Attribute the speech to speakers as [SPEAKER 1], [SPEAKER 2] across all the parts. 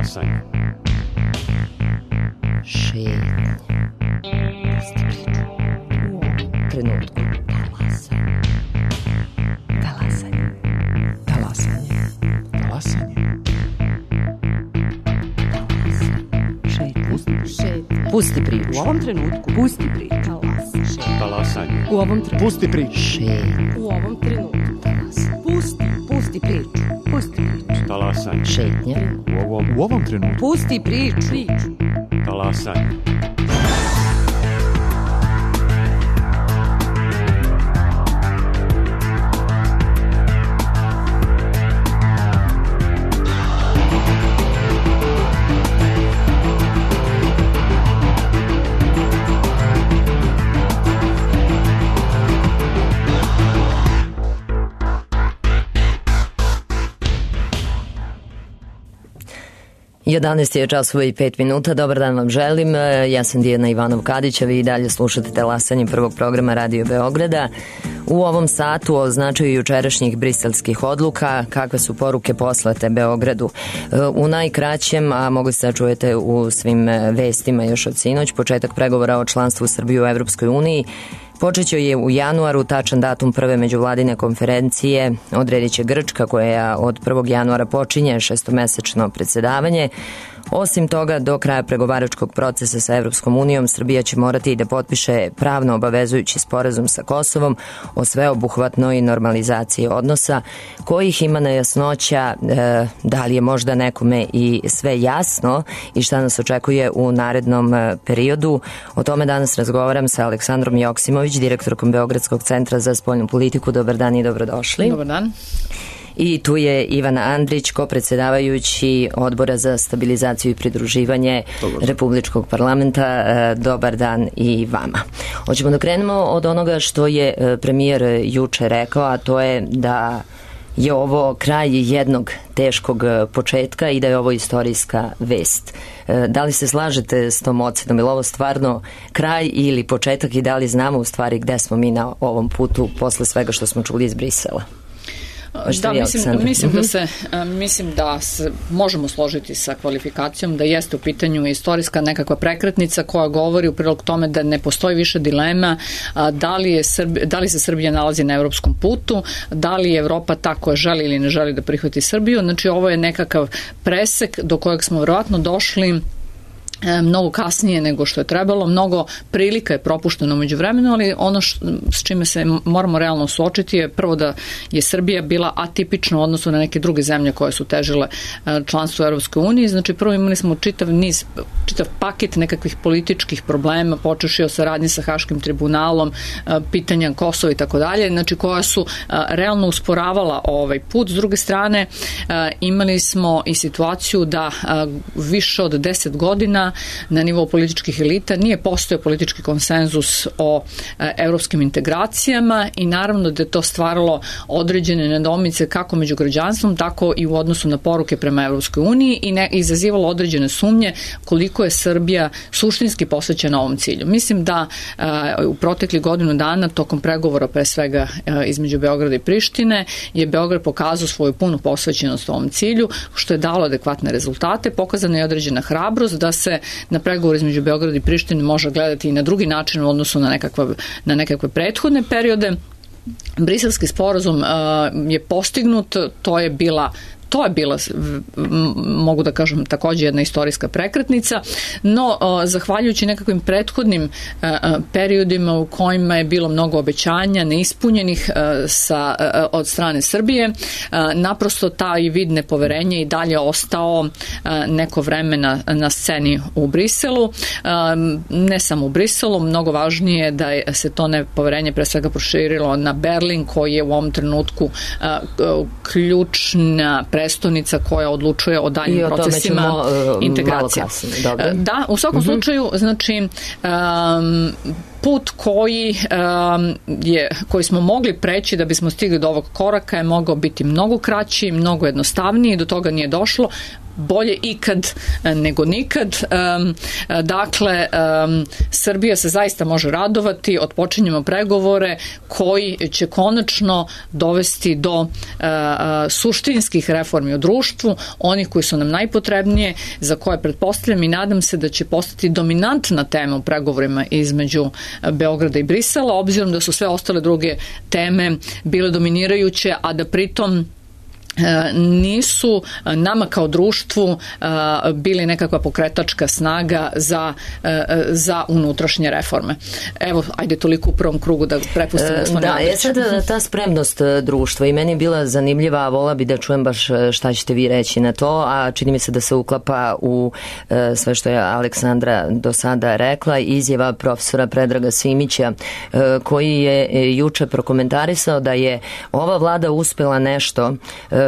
[SPEAKER 1] Talasanje.
[SPEAKER 2] Šetnja. Trenutku. Talasanje.
[SPEAKER 3] Talasanje. Talasanje.
[SPEAKER 2] Pusti priču.
[SPEAKER 3] U ovom trenutku.
[SPEAKER 2] Pusti priču.
[SPEAKER 1] Talasanje.
[SPEAKER 3] U ovom trenutku. Pusti priču.
[SPEAKER 2] Šetnja.
[SPEAKER 3] U ovom trenutku. Pusti priču. Pusti priču.
[SPEAKER 1] Talasanje.
[SPEAKER 2] Šetnja.
[SPEAKER 1] U ovom
[SPEAKER 3] trenutku. Pusti priču.
[SPEAKER 1] Talasanje.
[SPEAKER 2] Jedanaest je časova i 5 minuta. Dobar dan vam želim. Ja sam Dijana Ivanov-Kadić, a vi i dalje slušate Talasanje prvog programa Radio Beograda. U ovom satu o značaju jučerašnjih briselskih odluka, kakve su poruke poslate Beogradu. U najkraćem, a mogli ste da čujete u svim vestima još od sinoć, početak pregovora o članstvu Srbije u Evropskoj uniji počeće je u januaru, tačan datum prve međuvladine konferencije odredit će Grčka, koja od 1. januara počinje šestomesečno predsedavanje. Osim toga, do kraja pregovaračkog procesa sa Evropskom unijom, Srbija će morati da potpiše pravno obavezujući sporazum sa Kosovom o sveobuhvatnoj normalizaciji odnosa, kojih ima nejasnoća da li je možda nekome i sve jasno i šta nas očekuje u narednom periodu. O tome danas razgovaram sa Aleksandrom Joksimović, direktorkom Beogradskog centra za spoljnu politiku. Dobar dan i dobrodošli.
[SPEAKER 4] Dobar dan.
[SPEAKER 2] I tu je Ivana Andrić, kopredsedavajući Odbora za stabilizaciju i pridruživanje Republičkog parlamenta. Dobar dan i vama. Hoćemo da krenemo od onoga što je premijer juče rekao, a to je da je ovo kraj jednog teškog početka i da je ovo istorijska vest. Da li se slažete s tom ocenom? Je li ovo stvarno kraj ili početak i da li znamo u stvari gde smo mi na ovom putu posle svega što smo čuli iz Brisela?
[SPEAKER 4] Da, mislim da se možemo složiti sa kvalifikacijom da jeste u pitanju istorijska nekakva prekretnica koja govori u prilog tome da ne postoji više dilema da li se Srbija nalazi na evropskom putu, da li je Evropa ta koja želi ili ne želi da prihvati Srbiju. Znači ovo je nekakav presek do kojeg smo verovatno došli mnogo kasnije nego što je trebalo, mnogo prilika je propušteno među vremenu, ali ono s čime se moramo realno suočiti je prvo da je Srbija bila atipična u odnosu na neke druge zemlje koje su težile članstvo u Europskoj uniji. Znači prvo imali smo čitav paket nekakvih političkih problema, počevši od saradnje sa Haškim tribunalom, pitanja Kosova i tako dalje, znači koja su realno usporavala ovaj put. S druge strane imali smo i situaciju da više od 10 godina na nivou političkih elita nije postojao politički konsenzus o evropskim integracijama i naravno da je to stvaralo određene nedoumice kako među građanstvom, tako i u odnosu na poruke prema Evropskoj uniji i izazivalo određene sumnje koliko je Srbija suštinski posvećena ovom cilju. Mislim da u protekli godinu dana tokom pregovora pre svega između Beograda i Prištine je Beograd pokazao svoju punu posvećenost ovom cilju, što je dalo adekvatne rezultate. Pokazana je određena hrabrost da se na pregovor između Beograda i Prištine može gledati i na drugi način u odnosu na nekakve prethodne periode. Briselski sporazum je postignut, to je bila, mogu da kažem, također jedna istorijska prekretnica, no zahvaljujući nekakvim prethodnim periodima u kojima je bilo mnogo obećanja neispunjenih od strane Srbije, naprosto taj vid nepoverenja i dalje ostao neko vreme na sceni u Briselu. Ne samo u Briselu, mnogo važnije je da se to nepoverenje pre svega proširilo na Berlin, koji je u ovom trenutku ključna prestonica koja odlučuje o daljim procesima integracije. Da, u svakom slučaju, znači put koji smo mogli preći da bismo stigli do ovog koraka je mogao biti mnogo kraći, mnogo jednostavniji, do toga nije došlo. bolje ikad nego nikad. Dakle, Srbija se zaista može radovati, otpočinjemo pregovore koji će konačno dovesti do suštinskih reformi u društvu, onih koji su nam najpotrebnije, za koje pretpostavljam i nadam se da će postati dominantna tema u pregovorima između Beograda i Brisela, obzirom da su sve ostale druge teme bile dominirajuće, a da pritom nisu nama kao društvu bili nekakva pokretačka snaga za unutrašnje reforme. Evo, ajde toliko u prvom krugu da prepustimo gospodinu Andriću.
[SPEAKER 2] Sad ta spremnost društva i meni je bila zanimljiva, a vola bi da čujem baš šta ćete vi reći na to, a čini mi se da se uklapa u sve što je Aleksandra do sada rekla, izjava profesora Predraga Simića, koji je juče prokomentarisao da je ova vlada uspela nešto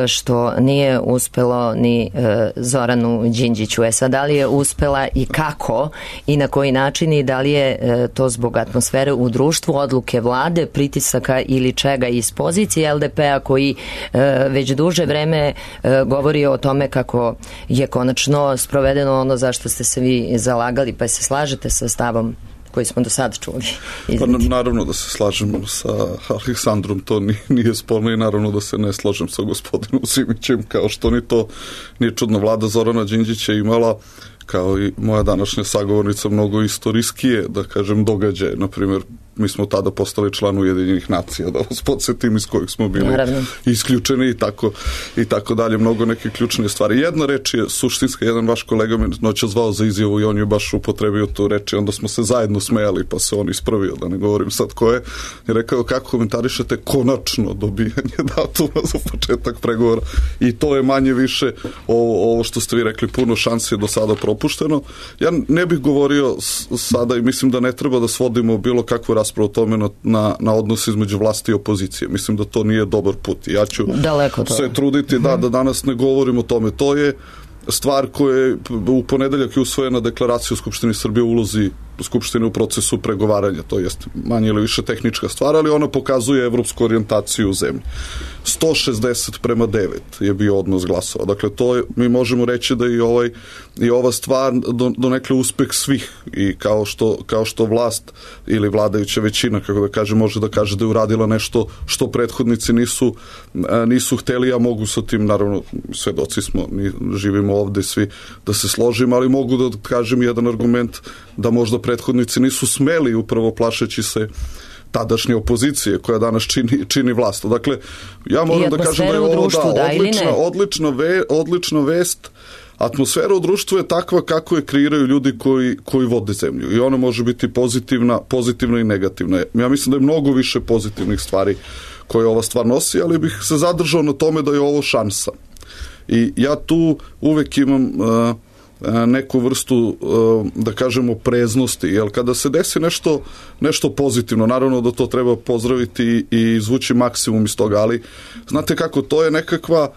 [SPEAKER 2] što nije uspelo ni Zoranu Đinđiću. Sad, da li je uspela i kako i na koji način i da li je to zbog atmosfere u društvu, odluke vlade, pritisaka ili čega iz pozicije LDP-a koji već duže vreme govori o tome kako je konačno sprovedeno ono za što ste se vi zalagali, pa se slažete sa stavom koji smo do sada čuli?
[SPEAKER 5] Pa naravno da se slažem sa Aleksandrom, to nije sporno, i naravno da se ne slažem sa gospodinom Simićem, kao što ni to nije čudno. Vlada Zorana Đinđića imala, kao i moja današnja sagovornica, mnogo istorijskije, da kažem, događaje. Naprimjer, mi smo tada postali član Ujedinjenih nacija, da vas podsjetim, iz kojih smo bili isključeni i tako dalje, mnogo neke ključne stvari. Jedna reč je suštinska, jedan vaš kolega me noća zvao za izjavu i on je baš upotrebio tu reč i onda smo se zajedno smejali, pa se on ispravio, da ne govorim sad ko je, i rekao kako komentarišete konačno dobijanje datuma za početak pregovora, i to je manje više ovo što ste vi rekli, puno šansi je do sada propušteno. Ja ne bih govorio sada i mislim da ne treba da svodimo bilo kakvu raspravu o tome na odnos između vlasti i opozicije. Mislim da to nije dobar put. Ja ću se truditi da danas ne govorim o tome. To je stvar koja je u ponedeljak je usvojena deklaracija u Skupštini Srbije o ulozi Skupštine u procesu pregovaranja. To jest manje ili više tehnička stvar, ali ona pokazuje evropsku orijentaciju u zemlji. 160:9 je bio odnos glasova. Dakle, to je, mi možemo reći da i ova stvar donekle uspeh svih, i kao što vlast ili vladajuća većina, kako da kaže, može da kaže da je uradila nešto što prethodnici nisu hteli. Ja mogu sa tim, naravno, svedoci smo, živimo ovde svi, da se složimo, ali mogu da kažem jedan argument da možda prethodnici nisu smeli, upravo plašeći se tadašnje opozicije koja danas čini vlast. Dakle, ja moram da kažem da je ovo odlična vest. Atmosfera u društvu je takva kako je kreiraju ljudi koji vode zemlju, i ona može biti pozitivna i negativna. Ja mislim da je mnogo više pozitivnih stvari koje ova stvar nosi, ali bih se zadržao na tome da je ovo šansa. I ja tu uvek imam neku vrstu, da kažemo, preznosti, jer kada se desi nešto pozitivno, naravno da to treba pozdraviti i izvući maksimum iz toga, ali znate kako, to je nekakva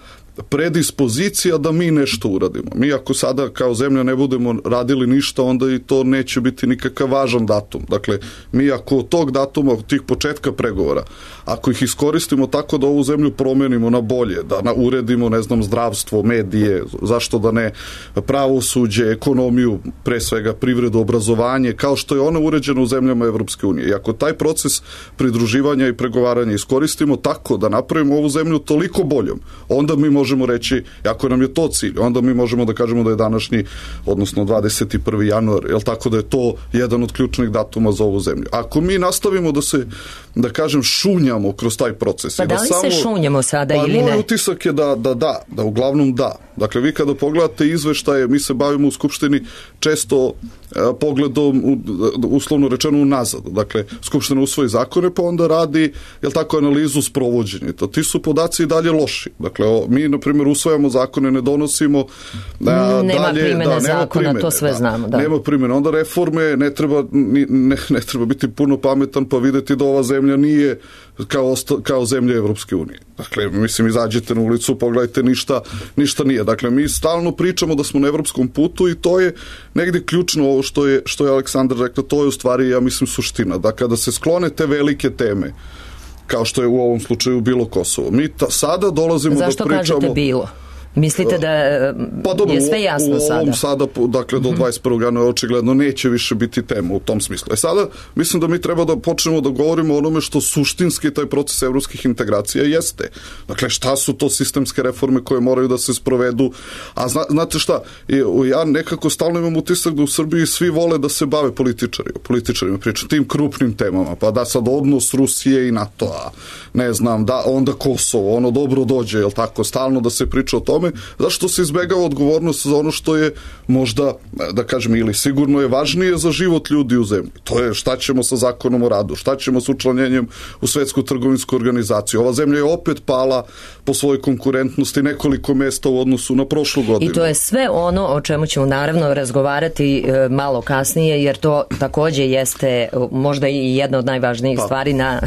[SPEAKER 5] predispozicija da mi nešto uradimo. Mi ako sada kao zemlja ne budemo radili ništa, onda i to neće biti nikakav važan datum. Dakle, mi ako od tog datuma, od tih početka pregovora, ako ih iskoristimo tako da ovu zemlju promenimo na bolje, da uredimo, ne znam, zdravstvo, medije, zašto da ne, pravosuđe, ekonomiju, pre svega privredu, obrazovanje, kao što je ono uređeno u zemljama Evropske unije. I ako taj proces pridruživanja i pregovaranja iskoristimo tako da napravimo ovu zemlju toliko boljom, onda mi možemo reći, ako nam je to cilj, onda mi možemo da kažemo da je današnji, odnosno 21. januar, jel tako, da je to jedan od ključnih datuma za ovu zemlju. Ako mi nastavimo da se, da kažem, šunjamo kroz taj proces.
[SPEAKER 2] Pa da li se šunjamo sada ili ne?
[SPEAKER 5] Moj utisak je da uglavnom da. Dakle, vi kada pogledate izveštaje, mi se bavimo u Skupštini često pogledom, uslovno rečeno, unazad. Dakle, Skupština usvoji zakone, pa onda radi, jel tako, analizu sprovođenja. Ti su podaci i dalje loši. Dakle, mi, na primjer, usvajamo zakone, ne donosimo
[SPEAKER 2] nema primjene zakona, to sve znamo. Da.
[SPEAKER 5] Nema primjene. Onda reforme, ne treba biti puno pametan pa videti da ova zemlja nije kao zemlja Evropske unije. Dakle, mislim, izađete na ulicu, pogledajte, ništa nije. Dakle, mi stalno pričamo da smo na evropskom putu i to je negdje ključno ovo što je Aleksandar rekla, to je u stvari, ja mislim, suština. Da kada se sklone te velike teme, kao što je u ovom slučaju bilo Kosovo, mi sada dolazimo da pričamo...
[SPEAKER 2] Zašto kažete bilo? Mislite da je sve jasno sada?
[SPEAKER 5] U ovom sada, dakle do 21. januara očigledno neće više biti tema u tom smislu. Sada mislim da mi treba da počnemo da govorimo o onome što suštinski taj proces evropskih integracija jeste. Dakle, šta su to sistemske reforme koje moraju da se sprovedu? A znate šta, ja nekako stalno imam utisak da u Srbiji svi vole da se bave političarima, pričam tim krupnim temama, pa da sad odnos Rusije i NATO-a, ne znam, da onda Kosovo, ono dobro dođe, jel tako, stalno da se priča o tome, zašto se izbegava odgovornost za ono što je možda, da kažem, ili sigurno je važnije za život ljudi u zemlji. To je šta ćemo sa zakonom o radu, šta ćemo s učlanjenjem u Svetsku trgovinsku organizaciju. Ova zemlja je opet pala po svojoj konkurentnosti nekoliko mesta u odnosu na prošlu godinu.
[SPEAKER 2] I to je sve ono o čemu ćemo naravno razgovarati malo kasnije, jer to takođe jeste možda i jedna od najvažnijih stvari na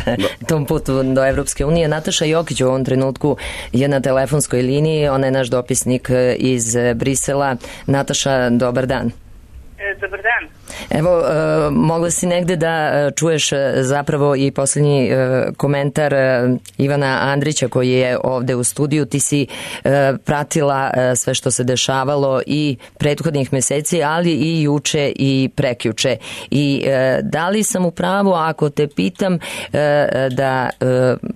[SPEAKER 2] tom putu do Evropske unije. Nataša Jokić u ovom trenutku je na telefonskoj liniji, ona je naš dopisnik iz Brisela. Nataša, dobar dan.
[SPEAKER 6] Dobar dan.
[SPEAKER 2] Evo, mogla si negde da čuješ zapravo i posljednji komentar Ivana Andrića koji je ovde u studiju. Ti si pratila sve što se dešavalo i prethodnih meseci, ali i juče i prekjuče. I da li sam u pravu ako te pitam da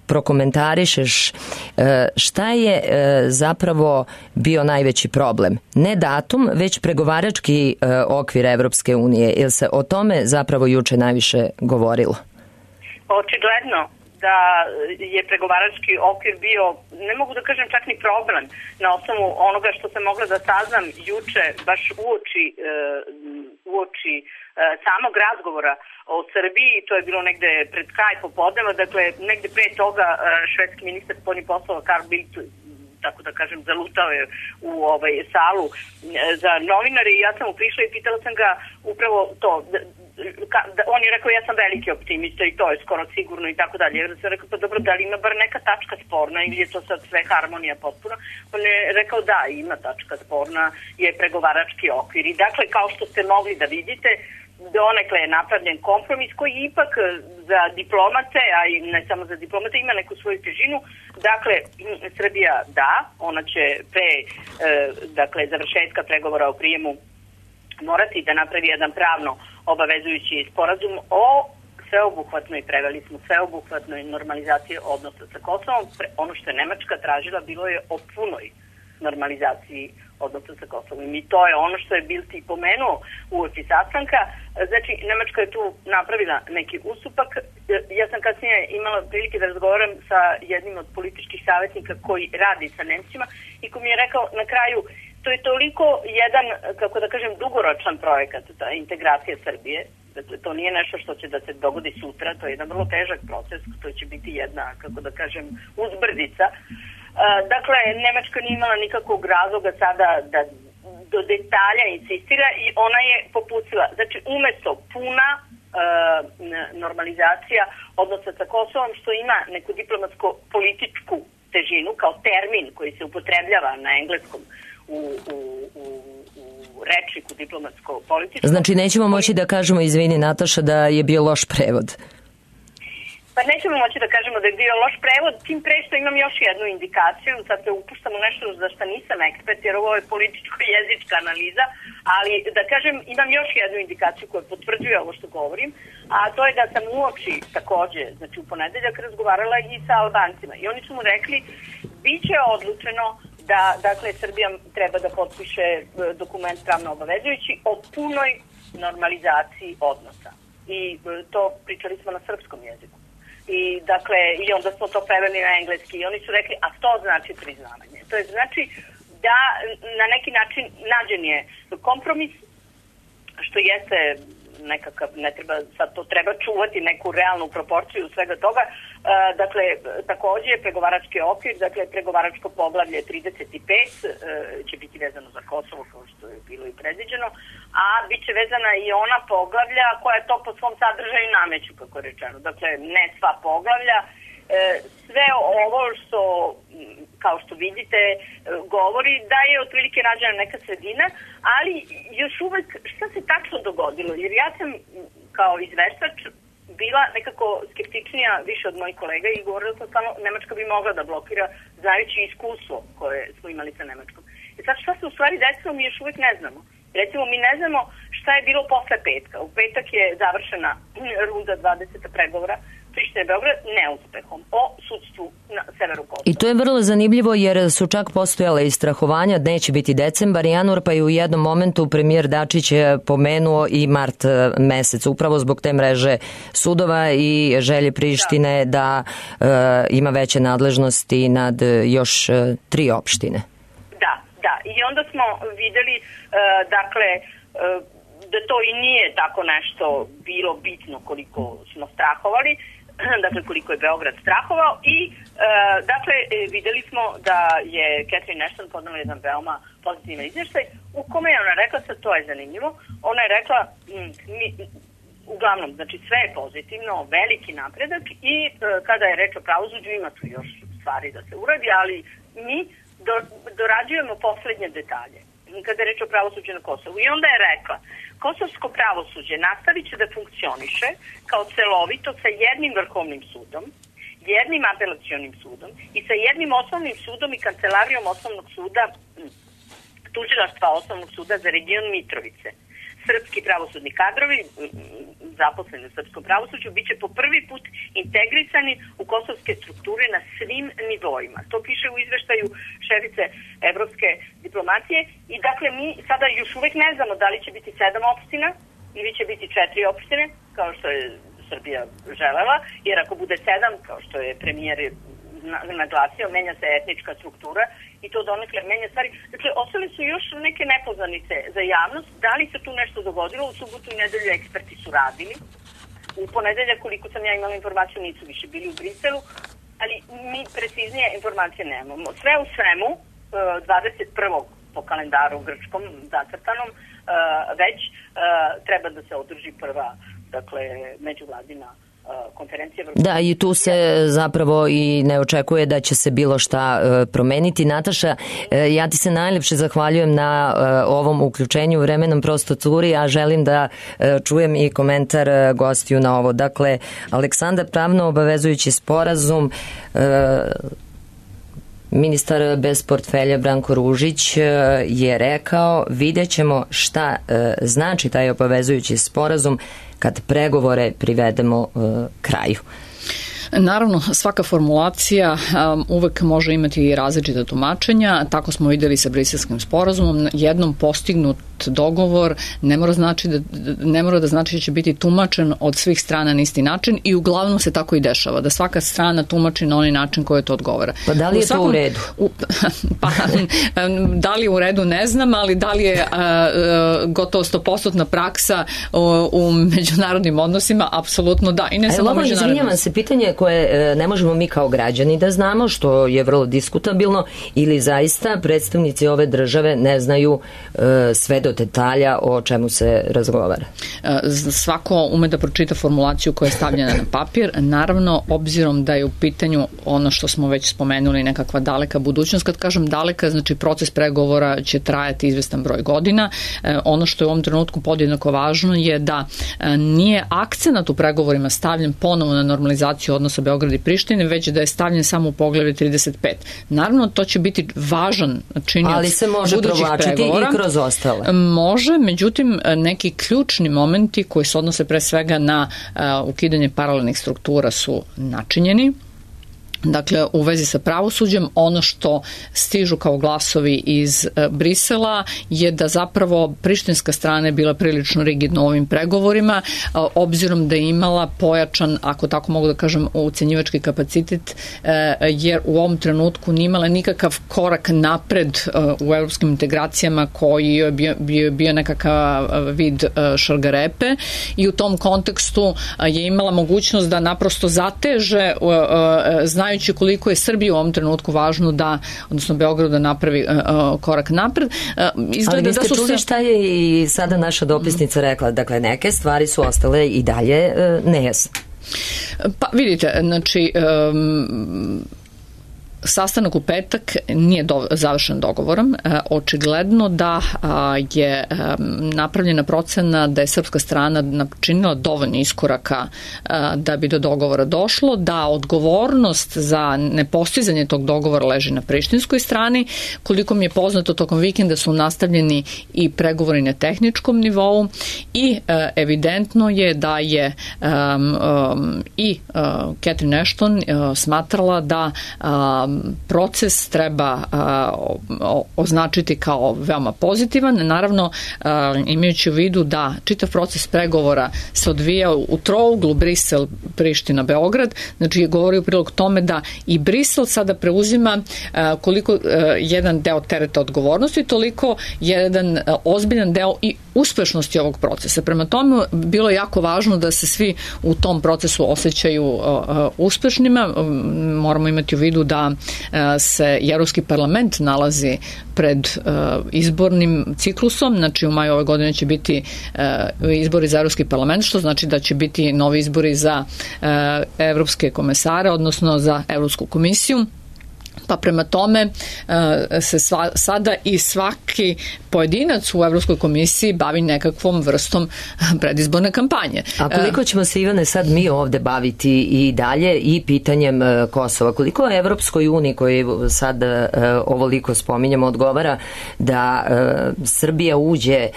[SPEAKER 2] prokomentarišeš šta je zapravo bio najveći problem? Ne datum, već pregovarački okvir Evropske unije. Jel se o tome zapravo juče najviše govorilo?
[SPEAKER 6] Očigledno da je pregovarački okvir bio, ne mogu da kažem čak ni problem, na osnovu onoga što sam mogla da saznam juče, baš uoči samog razgovora o Srbiji. To je bilo negde pred kraj popodneva, dakle negde pre toga švedski ministar spoljnih poslova Carl Bildt, tako da kažem, zalutao je u salu za novinare i ja sam mu prišla i pitala sam ga upravo to. On je rekao, ja sam veliki optimista i to je skoro sigurno i tako dalje. Ja sam rekao, pa dobro, da li ima bar neka tačka sporna ili je to sad sve harmonija potpuno? On je rekao, da, ima tačka sporna, je pregovarački okvir. I dakle, kao što ste mogli da vidite, donekle je napravljen kompromis koji ipak za diplomate, a i ne samo za diplomate, ima neku svoju težinu. Dakle, Srbija da, ona će pre završetka pregovora o prijemu morati da napravi jedan pravno obavezujući sporazum o sveobuhvatnoj normalizaciji odnosa sa Kosovom. Ono što je Nemačka tražila bilo je o punoj normalizaciji odnosa sa Kosovom. I to je ono što je Bildt i pomenuo uoči sastanka. Znači, Nemačka je tu napravila neki ustupak. Ja sam kasnije imala prilike da razgovaram sa jednim od političkih savjetnika koji radi sa Nemcima i ko mi je rekao na kraju, to je toliko jedan, kako da kažem, dugoročan projekat, ta integracija Srbije. Dakle, to nije nešto što će da se dogodi sutra, to je jedan vrlo težak proces, to će biti jedna, kako da kažem, uzbrdica. Dakle, Nemačka nije imala nikakvog razloga sada da do detalja insistira i ona je popucila. Znači, umesto puna normalizacija odnosa sa Kosovom, što ima neku diplomatsko-političku težinu kao termin koji se upotrebljava na engleskom u rečniku diplomatsko-političkom.
[SPEAKER 2] Znači, nećemo moći da kažemo, izvini Nataša, da je bio loš prevod.
[SPEAKER 6] Pa nećemo moći da kažemo da je bio loš prevod, tim pre što imam još jednu indikaciju, sad se upuštam u nešto za što nisam ekspert, jer ovo je političko-jezička analiza, ali da kažem imam još jednu indikaciju koja potvrđuje ovo što govorim, a to je da sam uoči takođe, znači u ponedeljak razgovarala i sa Albancima i oni su mu rekli, bit će odlučeno da, dakle, Srbija treba da potpiše dokument pravno obavezujući o punoj normalizaciji odnosa. I to pričali smo na srpskom jeziku. I dakle, i onda smo to preveli na engleski i oni su rekli, a to znači priznavanje. To je znači da na neki način nađen je kompromis, što jeste nekakav, ne treba, sad to treba čuvati neku realnu proporciju svega toga. Dakle, takođe pregovarački okvir, dakle pregovaračko poglavlje 35 će biti vezano za Kosovo, kao što je bilo i predviđeno, a bit će vezana i ona poglavlja koja to po svom sadržaju nameću, kako je rečeno. Dakle, ne sva poglavlja, sve ovo što, kao što vidite, govori da je otprilike nađena neka sredina, ali još uvek šta se tačno dogodilo? Jer ja sam kao izveštač bila nekako skeptičnija više od mojih kolega i govorila sam samo Nemačka bi mogla da blokira, znajući iskustvo koje smo imali sa Nemačkom. Sad šta se u stvari desilo, mi još uvijek ne znamo. Recimo, mi ne znamo šta je bilo posle petka. U petak je završena runda 20. pregovora Priština Beograd neuspehom o sudstvu na severu Kosova.
[SPEAKER 2] I to je vrlo zanimljivo jer su čak postojale i strahovanja, neće biti decembar, januar, pa i u jednom momentu premijer Dačić je pomenuo i mart mesec, upravo zbog te mreže sudova i želje Prištine da ima veće nadležnosti nad još 3 opštine.
[SPEAKER 6] Da. I onda smo videli, dakle, da to i nije tako nešto bilo bitno koliko smo strahovali, dakle koliko je Beograd strahovao i dakle videli smo da je Catherine Ashton podnela jedan veoma pozitivan izvještaj u kome je ona rekla, sad to je zanimljivo, ona je rekla uglavnom, znači sve je pozitivno, veliki napredak i kada je reč o pravosuđu ima tu još stvari da se uradi, ali mi dorađujemo poslednje detalje kada je reč o pravosuđu na Kosovu. I onda je rekla, kosovsko pravosuđe nastavit će da funkcioniše kao celovito sa jednim vrhovnim sudom, jednim apelacionim sudom i sa jednim osnovnim sudom i kancelarijom osnovnog suda, tužilaštva osnovnog suda za region Mitrovice. Srpski pravosudni kadrovi, zaposleni u srpskom pravosuđu, bit će po prvi put integrisani u kosovske strukture na svim nivoima. To piše u izveštaju šefice evropske diplomacije i dakle mi sada još uvek ne znamo da li će biti 7 opština ili će biti 4 opštine, kao što je Srbija želela, jer ako bude 7, kao što je premijer naglasio, menja se etnička struktura i to donekle menja stvari. Dakle, ostale su još neke nepoznanice za javnost. Da li se tu nešto dogodilo? U subotu i nedelju eksperti su radili. U ponedeljak, koliko sam ja imala informaciju, nisu više bili u Briselu, ali mi preciznije informacije nemamo. Sve u svemu, 21. po kalendaru grčkom zacrtanom, već treba da se održi prva, dakle, međuvladina konferencija.
[SPEAKER 2] Da, i tu se zapravo i ne očekuje da će se bilo šta promeniti. Nataša, ja ti se najlepše zahvaljujem na ovom uključenju, vremenom prosto curi, a želim da čujem i komentar gostiju na ovo. Dakle, Aleksandar, pravno obavezujući sporazum, ministar bez portfelja Branko Ružić je rekao, vidjet ćemo šta znači taj obavezujući sporazum kad pregovore privedemo kraju.
[SPEAKER 4] Naravno, svaka formulacija uvek može imati i različita tumačenja. Tako smo videli sa Briselskim sporazumom. Jednom postignut dogovor ne mora da znači da će biti tumačen od svih strana na isti način i uglavnom se tako i dešava, da svaka strana tumači na onaj način koji to odgovara.
[SPEAKER 2] Pa da li je to u redu?
[SPEAKER 4] Da li je u redu ne znam, ali da li je gotovo 100% praksa u međunarodnim odnosima, apsolutno da. I ne samo međunarodnim.
[SPEAKER 2] Izvinjavam se, pitanje koje ne možemo mi kao građani da znamo, što je vrlo diskutabilno, ili zaista predstavnici ove države ne znaju sve do detalja o čemu se razgovara?
[SPEAKER 4] Svako ume da pročita formulaciju koja je stavljena na papir. Naravno, obzirom da je u pitanju ono što smo već spomenuli, nekakva daleka budućnost. Kad kažem daleka, znači proces pregovora će trajati izvestan broj godina. Ono što je u ovom trenutku podjednako važno je da nije akcenat u pregovorima stavljen ponovo na normalizaciju odnosa Beograda i Prištine, već da je stavljen samo u poglavlje 35. Naravno, to će biti važan činilac
[SPEAKER 2] ali se može provlačiti pregovora. I kroz ostale.
[SPEAKER 4] Može, međutim, neki ključni momenti koji se odnose pre svega na ukidanje paralelnih struktura su načinjeni. Dakle, u vezi sa pravosuđem, ono što stižu kao glasovi iz Brisela je da zapravo prištinska strana je bila prilično rigidna u ovim pregovorima, obzirom da je imala pojačan, ako tako mogu da kažem, ucenjivački kapacitet, jer u ovom trenutku nije imala nikakav korak napred u evropskim integracijama koji je bio nekakav vid šargarepe i u tom kontekstu je imala mogućnost da naprosto zateže, znajući koliko je Srbiji u ovom trenutku važno da, odnosno Beogradu da napravi korak napred.
[SPEAKER 2] Ali vi ste čuli šta je i sada naša dopisnica rekla, dakle neke stvari su ostale i dalje nejasne.
[SPEAKER 4] Pa vidite, znači sastanak u petak nije završen dogovorom. Očigledno da je napravljena procena da je srpska strana načinila dovoljno iskoraka da bi do dogovora došlo, da odgovornost za nepostizanje tog dogovora leži na prištinskoj strani. Koliko mi je poznato, tokom vikenda su nastavljeni i pregovori na tehničkom nivou i evidentno je da je i Catherine Ashton smatrala da proces treba označiti kao veoma pozitivan. Naravno, imajući u vidu da čitav proces pregovora se odvija u trouglu Brisel, Priština, Beograd, znači govori u prilog tome da i Brisel sada preuzima koliko jedan deo tereta odgovornosti, toliko jedan ozbiljan deo i uspešnosti ovog procesa. Prema tome, bilo je jako važno da se svi u tom procesu osjećaju uspešnima. Moramo imati u vidu da se Evropski parlament nalazi pred izbornim ciklusom, znači u maju ove godine će biti izbori za Evropski parlament, što znači da će biti novi izbori za evropske komesare, odnosno za Evropsku komisiju. Pa prema tome se sada i svaki pojedinac u Evropskoj komisiji bavi nekakvom vrstom predizborne kampanje.
[SPEAKER 2] A koliko ćemo se, Ivane, sad mi ovde baviti i dalje i pitanjem Kosova? Koliko je Evropskoj uniji, koji sad ovoliko spominjamo, odgovara da Srbija uđe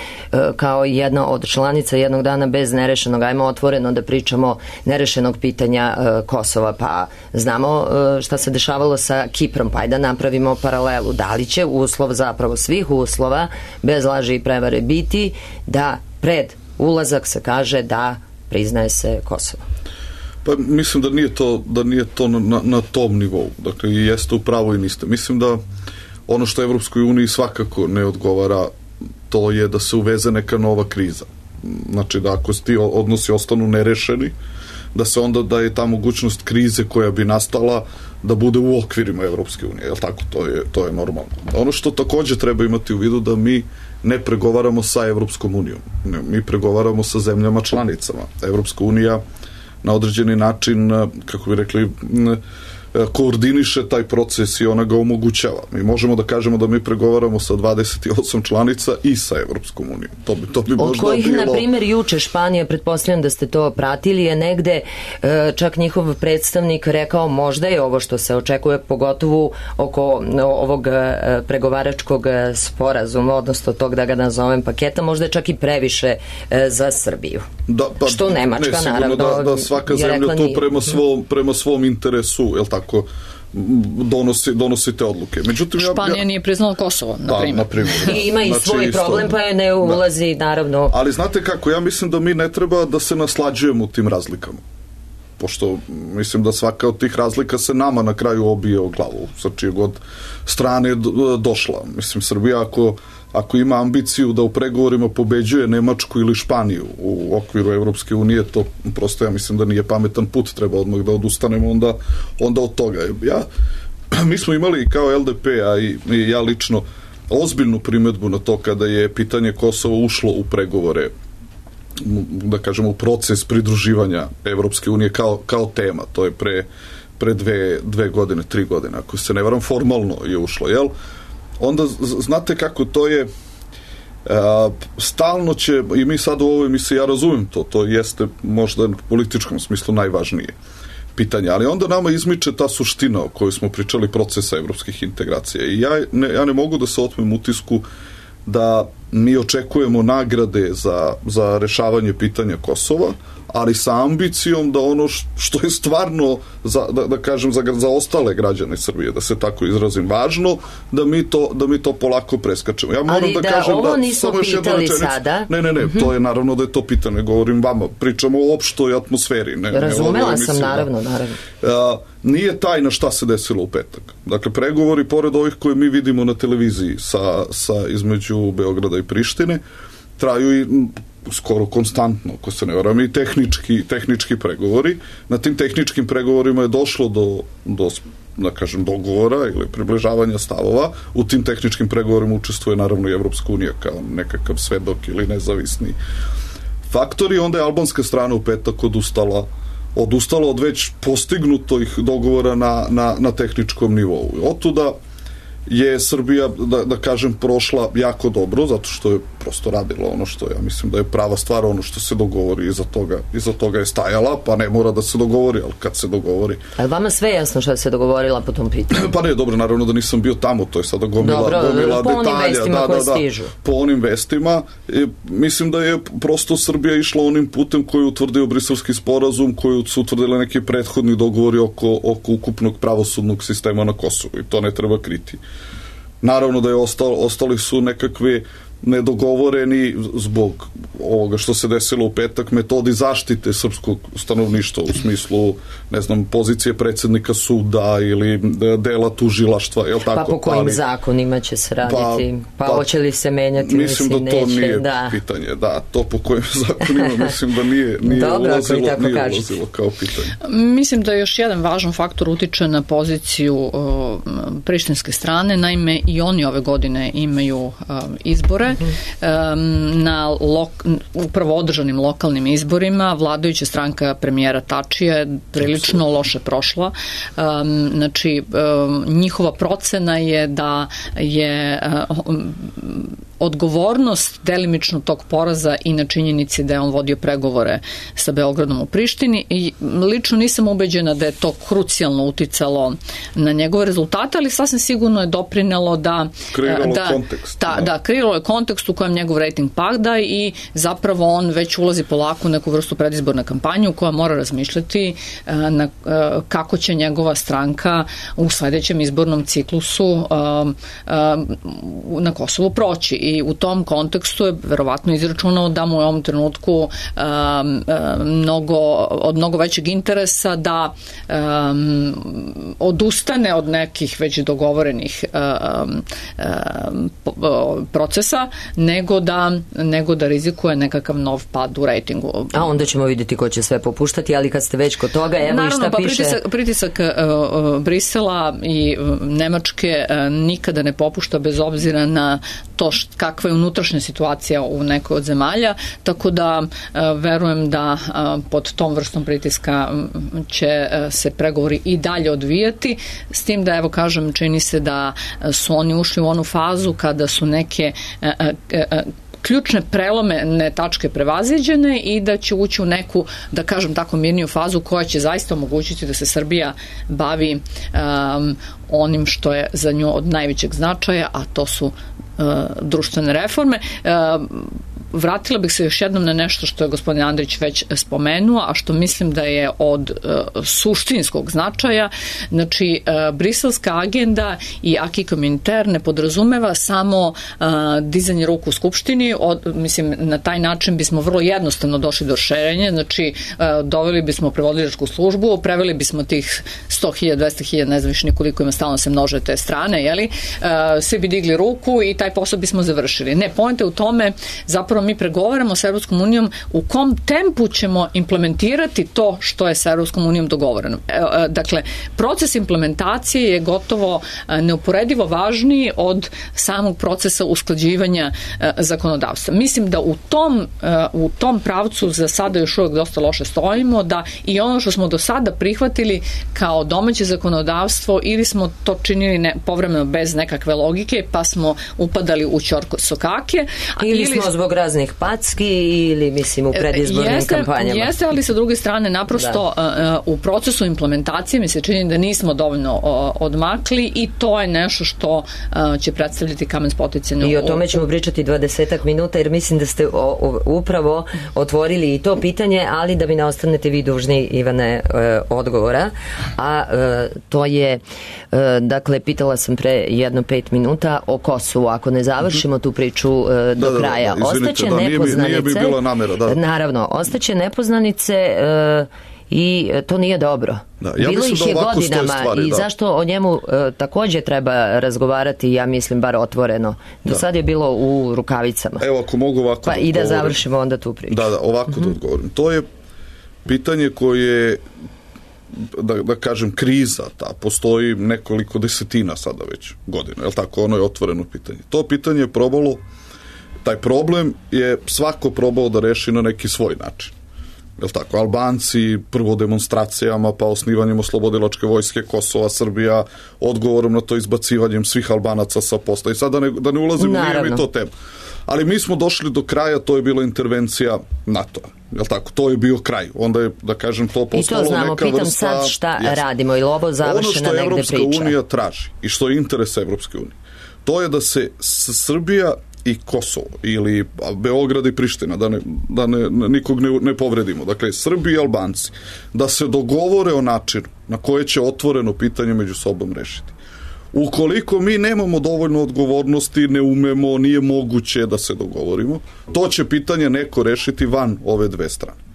[SPEAKER 2] kao jedna od članica jednog dana bez nerešenog, ajmo otvoreno da pričamo, nerešenog pitanja Kosova? Pa znamo šta se dešavalo sa Kiprom, pa da napravimo paralelu. Da li će uslov, zapravo svih uslova, bez laži i prevare, biti da pred ulazak se kaže da priznaje se Kosovo?
[SPEAKER 5] Pa mislim da nije to na tom nivou. Dakle, jeste u pravu i niste. Mislim da ono što Evropskoj uniji svakako ne odgovara, to je da se uveze neka nova kriza. Znači da ako ti odnosi ostanu nerešeni, da je ta mogućnost krize koja bi nastala da bude u okvirima Evropske unije, jel tako? To je normalno. Ono što takođe treba imati u vidu, da mi ne pregovaramo sa Evropskom unijom. Mi pregovaramo sa zemljama članicama. Evropska unija na određeni način, kako bi rekli, koordiniše taj proces i ona ga omogućava. Mi možemo da kažemo da mi pregovaramo sa 28 članica i sa Evropskom unijom. To bi možda bilo...
[SPEAKER 2] Od kojih, na primjer, juče Španija, pretpostavljam da ste to pratili, je negde čak njihov predstavnik rekao možda je ovo što se očekuje, pogotovo oko ovog pregovaračkog sporazuma, odnosno tog, da ga nazovem, paketa, možda je čak i previše za Srbiju. Što Nemačka, naravno,
[SPEAKER 5] da svaka zemlja to prema svom interesu, jel tako, donosi te odluke. Međutim,
[SPEAKER 4] Španija nije priznala Kosovo, na primjer.
[SPEAKER 2] I ima i svoj problem, pa je ne ulazi, naravno.
[SPEAKER 5] Ali znate kako, ja mislim da mi ne treba da se naslađujemo u tim razlikama. Pošto mislim da svaka od tih razlika se nama na kraju obije o glavu, sa čije god strane došla. Mislim, Srbija ako ima ambiciju da u pregovorima pobeđuje Nemačku ili Španiju u okviru Evropske unije, to prosto ja mislim da nije pametan put, treba odmah da odustanemo onda od toga. Mi smo imali kao LDP, a i ja lično, ozbiljnu primedbu na to kada je pitanje Kosova ušlo u pregovore, da kažemo u proces pridruživanja Evropske unije kao tema. To je pre 2 godine, 3 godine, ako se ne varam, formalno je ušlo, jel? Onda znate kako to je, stalno će, i mi sad u ovoj emisiji, ja razumem to jeste možda u političkom smislu najvažnije pitanje, ali onda nama izmiče ta suština o kojoj smo pričali, procesa evropskih integracija. I ja ne mogu da se otmem utisku da mi očekujemo nagrade za rešavanje pitanja Kosova, ali sa ambicijom da ono što je stvarno, da kažem, za ostale građane Srbije, da se tako izrazim, važno, da mi to polako preskačemo. Ja moram da kažem
[SPEAKER 2] ovo nismo pitali sada.
[SPEAKER 5] Ne, to je naravno da je to pitanje, govorim vama, pričamo o opštoj atmosferi.
[SPEAKER 2] Razumela sam, naravno.
[SPEAKER 5] Nije tajna šta se desilo u petak. Dakle, pregovori, pored ovih koje mi vidimo na televiziji između Beograda i Prištine, traju i skoro konstantno, ako se ne varam, i tehnički pregovori. Na tim tehničkim pregovorima je došlo do da kažem, dogovora ili približavanja stavova. U tim tehničkim pregovorima učestvuje naravno i Evropska unija kao nekakav svedok ili nezavisni faktor, i onda je albanska strana u petak odustala odustalo od već postignutih dogovora na tehničkom nivou. Otuda je Srbija, da kažem, prošla jako dobro, zato što je prosto radila ono što ja mislim da je prava stvar, ono što se dogovori, iza toga je stajala, pa ne mora da se dogovori, ali kad se dogovori...
[SPEAKER 2] Ali vama sve jasno što se dogovorila po tom pitanju?
[SPEAKER 5] Pa ne, dobro, naravno da nisam bio tamo, to je sada gomila detalja.
[SPEAKER 2] Po onim vestima koje stižu.
[SPEAKER 5] Po onim vestima, mislim da je prosto Srbija išla onim putem koji je utvrdio Briselski sporazum, koji su utvrdili neki prethodni dogovori oko ukupnog pravosudnog sistema na Kosovu, i to ne treba kriti. Naravno da je ostali su nekakvi nedogovoreni zbog ovoga što se desilo u petak, metodi zaštite srpskog stanovništva u smislu, ne znam, pozicije predsjednika suda ili dela tužilaštva, je li tako?
[SPEAKER 2] Pa po kojim zakonima će se raditi? Pa hoće li se menjati?
[SPEAKER 5] Mislim da to nije pitanje. Da, to po kojim zakonima mislim da nije ulazilo kao pitanje.
[SPEAKER 4] Mislim da još jedan važan faktor utiče na poziciju prištinske strane. Naime, i oni ove godine imaju izbore. Na upravo održanim lokalnim izborima vladajuća stranka premijera Tačija je prilično loše prošla. Znači, njihova procena je da je odgovornost delimično tog poraza i na činjenici da je on vodio pregovore sa Beogradom u Prištini, i lično nisam ubeđena da je to krucijalno uticalo na njegove rezultate, ali sasvim sigurno je doprinelo da kreiralo je kontekst u kojem njegov rating pada i zapravo on već ulazi polako u neku vrstu predizborne kampanje u koja mora razmišljati kako će njegova stranka u sledećem izbornom ciklusu na Kosovu proći. I u tom kontekstu je verovatno izračunao da mu je u ovom trenutku od mnogo većeg interesa da odustane od nekih već dogovorenih procesa, nego da rizikuje nekakav nov pad u rejtingu.
[SPEAKER 2] A onda ćemo vidjeti ko će sve popuštati, ali kad ste već kod toga, evo i šta piše...
[SPEAKER 4] Pritisak Brisela i Nemačke nikada ne popušta bez obzira na to kakva je unutrašnja situacija u nekoj od zemalja, tako da verujem da pod tom vrstom pritiska će se pregovori i dalje odvijati, s tim da, evo kažem, čini se da su oni ušli u onu fazu kada su neke ključne prelomene tačke prevaziđene i da će ući u neku, da kažem tako, mirniju fazu koja će zaista omogućiti da se Srbija bavi onim što je za nju od najvećeg značaja, a to su društvene reforme. Vratila bih se još jednom na nešto što je gospodin Andrić već spomenuo, a što mislim da je od suštinskog značaja. Znači, briselska agenda i acquis communautaire ne podrazumeva samo dizanje ruku u Skupštini. Mislim, na taj način bismo vrlo jednostavno došli do rešenja. Znači, doveli bismo prevodilačku službu, preveli bismo tih 100.000, 200.000, ne znam više nikoliko ima, stalno se množe te strane, jeli? Svi bi digli ruku i taj posao bismo završili. Ne, poenta je u tome, zapravo mi pregovaramo sa Evropskom unijom u kom tempu ćemo implementirati to što je sa Evropskom unijom dogovoreno. Dakle, proces implementacije je gotovo neuporedivo važniji od samog procesa usklađivanja zakonodavstva. Mislim da u tom pravcu za sada još uvijek dosta loše stojimo, da i ono što smo do sada prihvatili kao domaće zakonodavstvo, ili smo to činili povremeno bez nekakve logike, pa smo upadali u ćorkosokake.
[SPEAKER 2] Ili smo zbog raznih packi, ili mislim u predizbornim kampanjama.
[SPEAKER 4] Jeste, ali sa druge strane naprosto u procesu implementacije mi se čini da nismo dovoljno odmakli i to je nešto što će predstavljati kamen spoticanja.
[SPEAKER 2] I o tome ćemo pričati 20 minuta, jer mislim da ste upravo otvorili i to pitanje, ali da mi ne ostanete vi dužni, Ivane, odgovora. A to je, dakle, pitala sam pre 5 minuta o Kosovu. Ako ne završimo tu priču do kraja, ostaće nepoznanice.
[SPEAKER 5] Nije bi bila namera, da.
[SPEAKER 2] Naravno, ostaće nepoznanice i to nije dobro.
[SPEAKER 5] Ja
[SPEAKER 2] bilo ih je godinama
[SPEAKER 5] stvari,
[SPEAKER 2] i zašto o njemu također treba razgovarati, ja mislim, bar otvoreno. Do sad je bilo u rukavicama.
[SPEAKER 5] Evo, ako mogu ovako
[SPEAKER 2] pa i da završimo onda tu priču.
[SPEAKER 5] Da, ovako da odgovorim. To je pitanje koje, da kažem, kriza ta, postoji nekoliko desetina sada već godina, je li tako? Ono je otvoreno pitanje. To pitanje je probalo, taj problem je svako probao da reši na neki svoj način. Jel tako? Albanci prvo demonstracijama, pa osnivanjem oslobodilačke vojske Kosova, Srbija, odgovorom na to izbacivanjem svih Albanaca sa posta. I sad da ne ulazimo, nije mi to tema. Ali mi smo došli do kraja, to je bila intervencija NATO-a. Jel tako? To je bio kraj. Onda je, da kažem, to postalo neka vrsta... I to znamo,
[SPEAKER 2] pitam sad šta radimo, ili ovo završena negde priča?
[SPEAKER 5] Ono što Evropska unija traži i što je interes Evropske unije, to je da se Srbija i Kosovo, ili Beograd i Priština, da nikog ne povredimo. Dakle, Srbi i Albanci, da se dogovore o načinu na koje će otvoreno pitanje među sobom rešiti. Ukoliko mi nemamo dovoljno odgovornosti, ne umemo, nije moguće da se dogovorimo, to će pitanje neko rešiti van ove dve strane.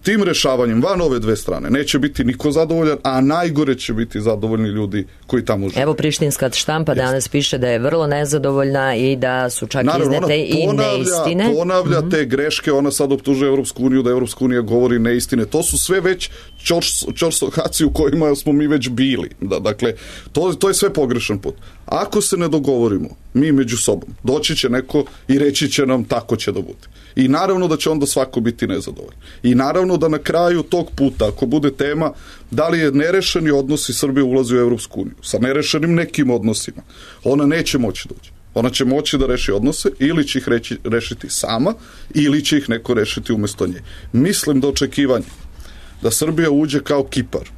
[SPEAKER 5] Tim rešavanjem van ove dve strane neće biti niko zadovoljan, a najgore će biti zadovoljni ljudi koji tamo žive.
[SPEAKER 2] Evo, prištinska štampa danas piše da je vrlo nezadovoljna i da su čak iznete i neistine.
[SPEAKER 5] Ponavlja te greške, ona sad optužuje Evropsku uniju da Evropska unija govori neistine. To su sve već čorstohaci u kojima smo mi već bili. Dakle, to je sve pogrešan put. Ako se ne dogovorimo mi među sobom, doći će neko i reći će nam tako će da bude. I naravno da će onda svako biti nezadovoljan. I naravno da na kraju tog puta, ako bude tema da li je nerešeni odnosi Srbije ulazi u Evropsku uniju, sa nerešenim nekim odnosima, ona neće moći da uđe. Ona će moći da reši odnose, ili će ih rešiti sama, ili će ih neko rešiti umesto nje. Mislim da očekivanje da Srbija uđe kao Kipar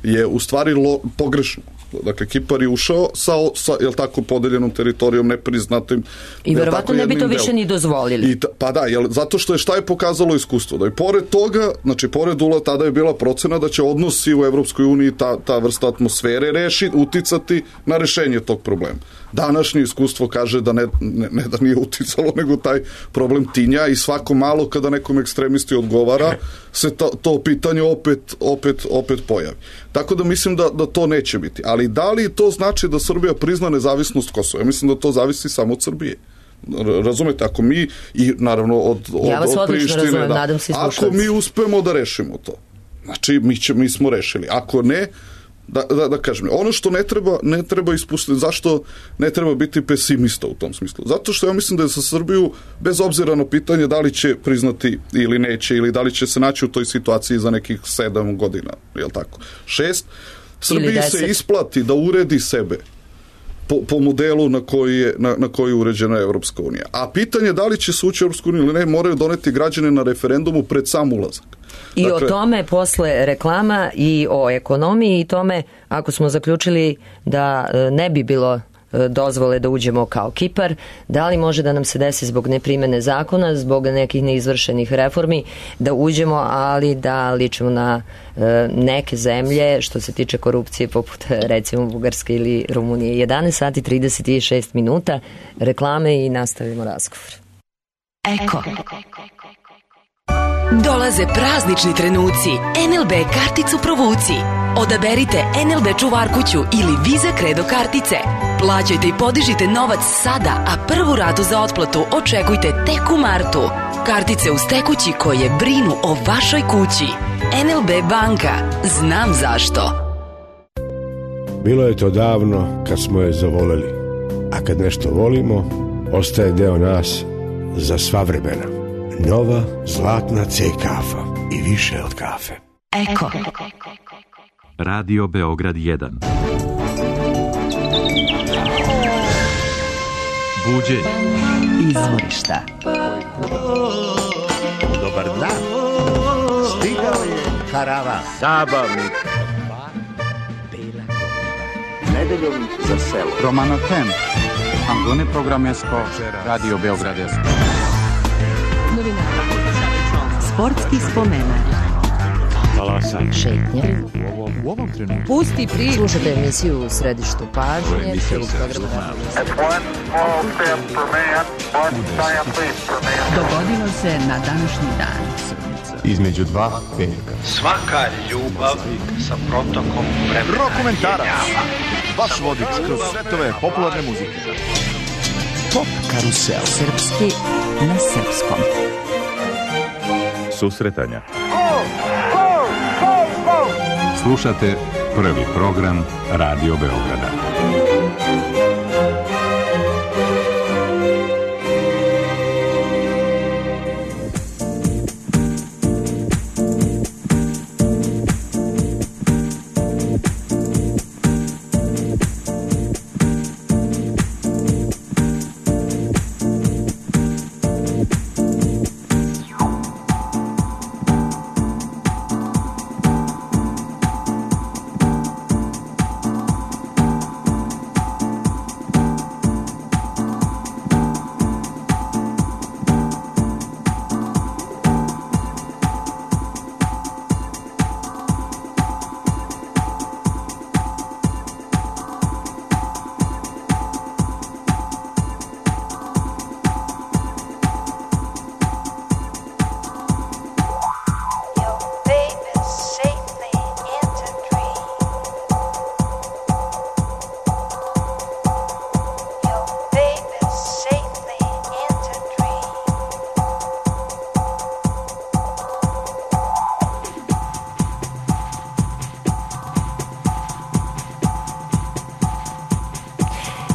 [SPEAKER 5] je u stvari pogrešno. Dakle, Kipar je ušao sa jel tako, podeljenom teritorijom, nepriznatim.
[SPEAKER 2] I verovatno ne bi to više ni dozvolili.
[SPEAKER 5] Pa da, zato što šta je pokazalo iskustvo? Da i pored toga, znači pored ulaza, tada je bila procena da će odnosi u Evropskoj uniji ta vrsta atmosfere uticati na rešenje tog problema. Današnje iskustvo kaže da ne da nije uticalo, nego taj problem tinja i svako malo kada nekom ekstremisti odgovara se to pitanje opet pojavi. Tako da mislim da to neće biti. Ali da li to znači da Srbija prizna nezavisnost Kosova? Ja mislim da to zavisi samo od Srbije. Razumete, ako mi i naravno od Prištine, ako mi uspemo da rešimo to, znači mi smo rešili. Ako ne, da kažem, ono što ne treba ispustiti, zašto ne treba biti pesimista u tom smislu? Zato što ja mislim da je za Srbiju, bez obzira na pitanje da li će priznati ili neće, ili da li će se naći u toj situaciji za nekih 7 godina, jel tako? 6, Srbiji se isplati da uredi sebe po modelu na koji je uređena Evropska unija. A pitanje da li će se ući u Evropsku uniju ili ne, moraju doneti građane na referendumu pred sam ulazak.
[SPEAKER 2] I dakle, o tome posle reklama i o ekonomiji i tome, ako smo zaključili da ne bi bilo dozvole da uđemo kao Kipar, da li može da nam se desi zbog neprimene zakona, zbog nekih neizvršenih reformi, da uđemo, ali da ličimo na neke zemlje što se tiče korupcije, poput recimo Bugarske ili Rumunije. 11 sati 36 minuta, reklame i nastavimo razgovor.
[SPEAKER 7] Eko. Dolaze praznični trenuci. NLB karticu provuci. Odaberite NLB čuvarkuću ili Visa Credo kartice. Plaćajte i podižite novac sada, a prvu ratu za otplatu očekujte tek u martu. Kartice uz tekući koje brinu o vašoj kući. NLB banka. Znam zašto.
[SPEAKER 8] Bilo je to davno kad smo je zavoleli. A kad nešto volimo, ostaje deo nas za sva vremena. Nova zlatna C kafa i više od kafe.
[SPEAKER 7] Eko.
[SPEAKER 1] Radio Beograd 1. Buđenje.
[SPEAKER 7] Izvorišta.
[SPEAKER 9] Dobar dan. Stigao je karavan. Zabavnik. Nedeljom za selo.
[SPEAKER 10] Romano Tem. Angone Programesko. Radio Beogradesko.
[SPEAKER 3] Sportski spomenak.
[SPEAKER 1] Talasanje.
[SPEAKER 2] Šetnje.
[SPEAKER 1] U ovom trenutku.
[SPEAKER 3] Pusti priču.
[SPEAKER 2] Slušate emisiju u središtu pažnje.
[SPEAKER 3] Dogodilo se na današnji dan.
[SPEAKER 8] Između dva velika.
[SPEAKER 9] Svaka ljubav sa protokom vremena.
[SPEAKER 11] Rokomentarac. Vaš vodič kroz svetove popularne muzike.
[SPEAKER 7] Pop karusel. Srpski na srpskom.
[SPEAKER 11] Susretanja. Slušate prvi program Radio Beograda.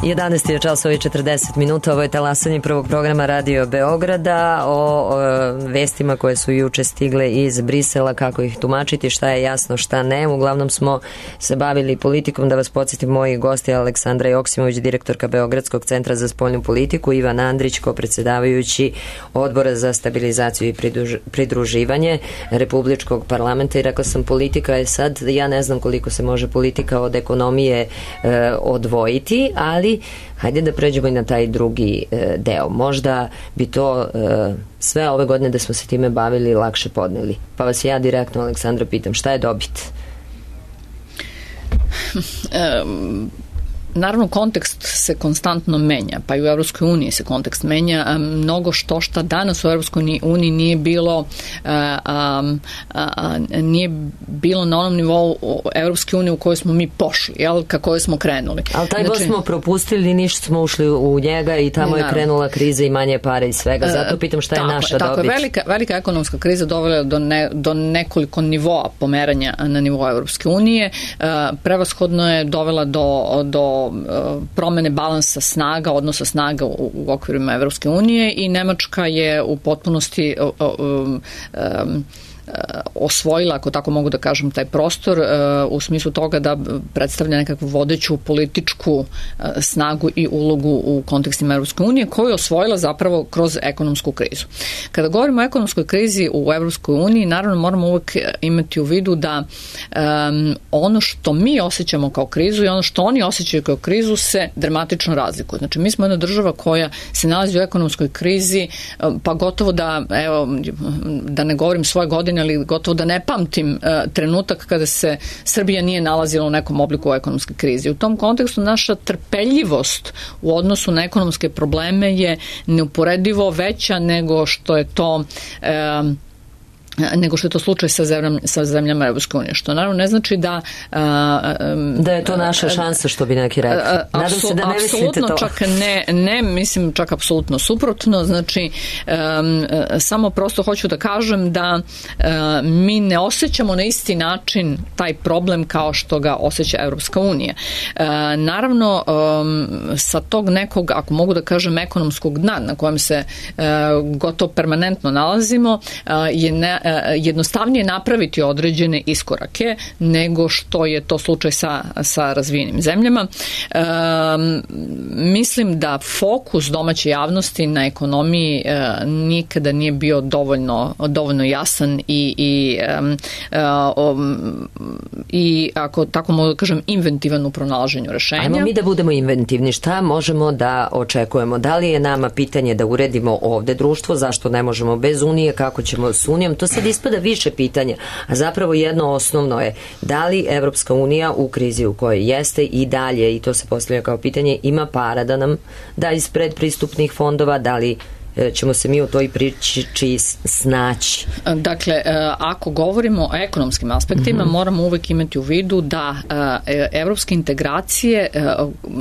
[SPEAKER 2] 11 je časova i 40 minuta, ovo je talasanje prvog programa Radio Beograda o vestima koje su juče stigle iz Brisela, kako ih tumačiti, šta je jasno, šta ne. Uglavnom smo se bavili politikom, da vas podsjetim, moji gosti Aleksandra Joksimović, direktorka Beogradskog centra za spoljnu politiku, Ivan Andrić, ko-predsedavajući Odbora za stabilizaciju i pridruživanje Republičkog parlamenta. I rekla sam, politika je sad, ja ne znam koliko se može politika od ekonomije odvojiti, ali hajde da pređemo i na taj drugi deo. Možda bi to sve ove godine da smo se time bavili lakše podneli. Pa vas ja direktno, Aleksandra, pitam, šta je dobit?
[SPEAKER 4] Naravno, kontekst se konstantno menja, pa i u Evropskoj uniji se kontekst menja. Mnogo šta danas u Evropskoj uniji nije bilo na onom nivou Evropske unije u kojoj smo mi pošli, ka kojoj smo krenuli.
[SPEAKER 2] Ali taj voz smo propustili, ništa smo ušli u njega i tamo je krenula kriza i manje pare i svega. Zato pitam šta je naša dobit.
[SPEAKER 4] Tako je, velika ekonomska kriza dovela do nekoliko nivoa pomeranja na nivou Evropske unije. Prevashodno je dovela do promene balansa snaga, odnosa snaga u okvirima Evropske unije i Nemačka je u potpunosti osvojila, ako tako mogu da kažem, taj prostor u smislu toga da predstavlja nekakvu vodeću političku snagu i ulogu u kontekstima Evropske unije, koju je osvojila zapravo kroz ekonomsku krizu. Kada govorimo o ekonomskoj krizi u Evropskoj uniji, naravno moramo uvek imati u vidu da ono što mi osjećamo kao krizu i ono što oni osjećaju kao krizu se dramatično razlikuje. Znači, mi smo jedna država koja se nalazi u ekonomskoj krizi, pa gotovo da ne govorim svoje godine, ali gotovo da ne pamtim trenutak kada se Srbija nije nalazila u nekom obliku ekonomske krize. U tom kontekstu naša trpeljivost u odnosu na ekonomske probleme je neuporedivo veća nego što je to slučaj sa zemljama Evropske unije, što naravno ne znači da
[SPEAKER 2] je to naša šansa, što bi neki rekli. Nadam se da ne mislite to.
[SPEAKER 4] Čak ne, mislim čak apsolutno suprotno. Znači, samo prosto hoću da kažem da mi ne osjećamo na isti način taj problem kao što ga osjeća Evropska unija. Naravno, sa tog nekog, ako mogu da kažem, ekonomskog dna na kojem se gotovo permanentno nalazimo, je jednostavnije napraviti određene iskorake nego što je to slučaj sa razvijenim zemljama. Mislim da fokus domaće javnosti na ekonomiji nikada nije bio dovoljno jasan i ako tako mogu da kažem, inventivan u pronalaženju rešenja.
[SPEAKER 2] Ajmo mi da budemo inventivni. Šta možemo da očekujemo? Da li je nama pitanje da uredimo ovde društvo? Zašto ne možemo bez Unije? Kako ćemo s Unijom? To sad ispada više pitanja, a zapravo jedno osnovno je da li Evropska unija u krizi u kojoj jeste i dalje, i to se postavlja kao pitanje, ima para da nam da iz predpristupnih fondova, da li ćemo se mi u toj priči snaći?
[SPEAKER 4] Dakle, ako govorimo o ekonomskim aspektima, moramo uvek imati u vidu da evropske integracije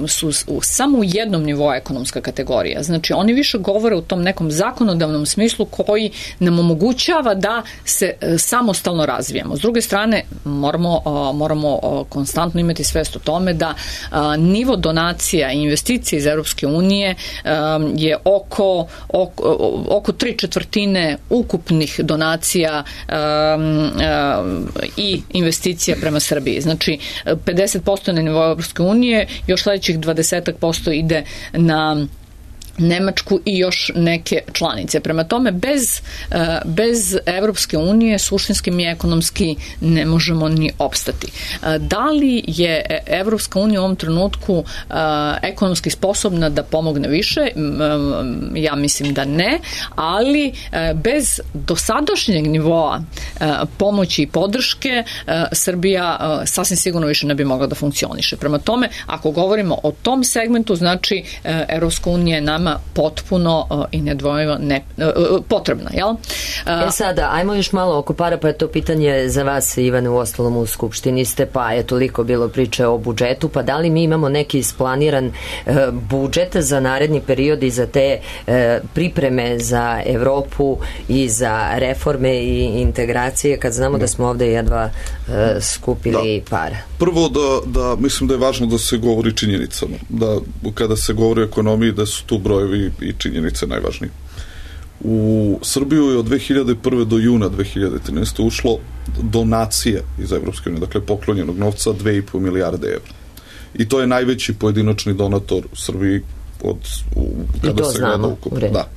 [SPEAKER 4] su samo u jednom nivou ekonomska kategorija. Znači, oni više govore u tom nekom zakonodavnom smislu koji nam omogućava da se samostalno razvijemo. S druge strane, moramo konstantno imati svest o tome da nivo donacija i investicija iz Evropske unije je oko 3/4 ukupnih donacija i investicija prema Srbiji. Znači, 50% na nivou Evropske unije, još sledećih 20% ide na Nemačku i još neke članice. Prema tome, bez Evropske unije suštinski mi ekonomski ne možemo ni opstati. Da li je Evropska unija u ovom trenutku ekonomski sposobna da pomogne više? Ja mislim da ne, ali bez dosadašnjeg nivoa pomoći i podrške Srbija sasvim sigurno više ne bi mogla da funkcioniše. Prema tome, ako govorimo o tom segmentu, znači Evropska unija je nama nama potpuno i nedvojivo potrebna, jel?
[SPEAKER 2] Sada, ajmo još malo oko para, pa je to pitanje za vas, Ivane, u ostalom u Skupštini ste, pa je toliko bilo priče o budžetu, pa da li mi imamo neki isplaniran budžet za naredni period i za te pripreme za Evropu i za reforme i integracije, kad znamo da smo ovde jedva skupili para?
[SPEAKER 5] Prvo da mislim da je važno da se govori činjenicama, da kada se govori o ekonomiji da su tu brojevi i činjenice najvažnije. U Srbiju je od 2001. do juna 2013. ušlo donacije iz Evropske unije, dakle poklonjenog novca 2,5 milijarde evra. I to je najveći pojedinačni donator u Srbiji kada se gleda ukupno. Da.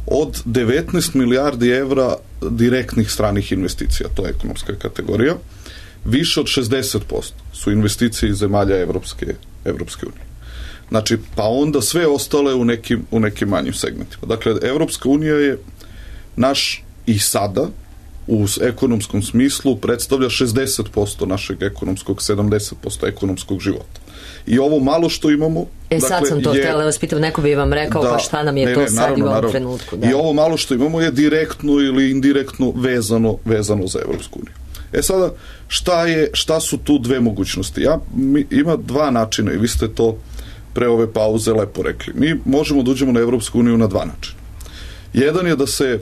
[SPEAKER 5] Od 19 milijardi evra direktnih stranih investicija, to je ekonomska kategorija, više od 60% su investicije iz zemalja Evropske unije. Znači, pa onda sve ostale u nekim manjim segmentima. Dakle, Evropska unija je naš i sada u ekonomskom smislu predstavlja 60% našeg ekonomskog, 70% ekonomskog života. I ovo malo što imamo...
[SPEAKER 2] Sad sam to htjela vas pitam, neko bi vam rekao pa šta nam je to sad i u ovom trenutku.
[SPEAKER 5] I ovo malo što imamo je direktno ili indirektno vezano za Evropsku uniju. Sada, šta su tu dve mogućnosti? Ima dva načina i vi ste to pre ove pauze lepo rekli. Mi možemo da uđemo na Evropsku uniju na dva načina. Jedan je da se,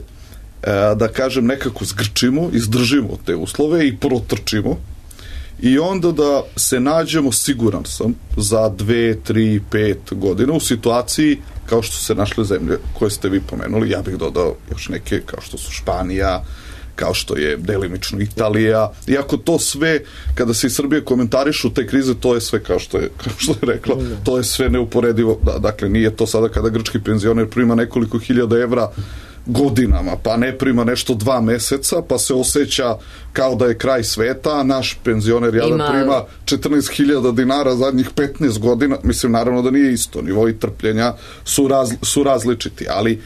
[SPEAKER 5] da kažem, nekako zgrčimo, izdržimo te uslove i protrčimo i onda da se nađemo, siguran sam, za 2, 3, 5 godina u situaciji kao što su se našle zemlje koje ste vi pomenuli. Ja bih dodao još neke kao što su Španija, kao što je delimično Italija, iako to sve, kada se iz Srbije komentarišu te krize, to je sve kao što je rekla, to je sve neuporedivo, dakle nije to sada kada grčki penzioner prima nekoliko hiljada evra godinama, pa ne prima nešto 2 meseca, pa se osjeća kao da je kraj sveta, a naš penzioner jadan prima 14.000 dinara zadnjih 15 godina, mislim naravno da nije isto, nivoi trpljenja su različiti, ali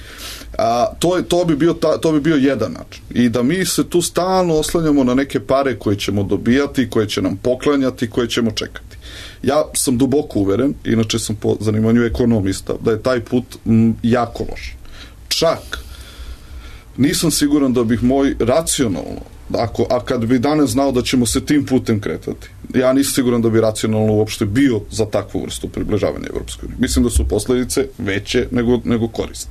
[SPEAKER 5] to bi bio jedan način. I da mi se tu stalno oslanjamo na neke pare koje ćemo dobijati, koje će nam poklanjati, koje ćemo čekati. Ja sam duboko uveren, inače sam po zanimanju ekonomista, da je taj put jako loš. Čak nisam siguran da bih moj racionalno, a kad bi danas znao da ćemo se tim putem kretati, ja nisam siguran da bi racionalno uopšte bio za takvu vrstu približavanja Evropskoj uniji. Mislim da su posledice veće nego korist.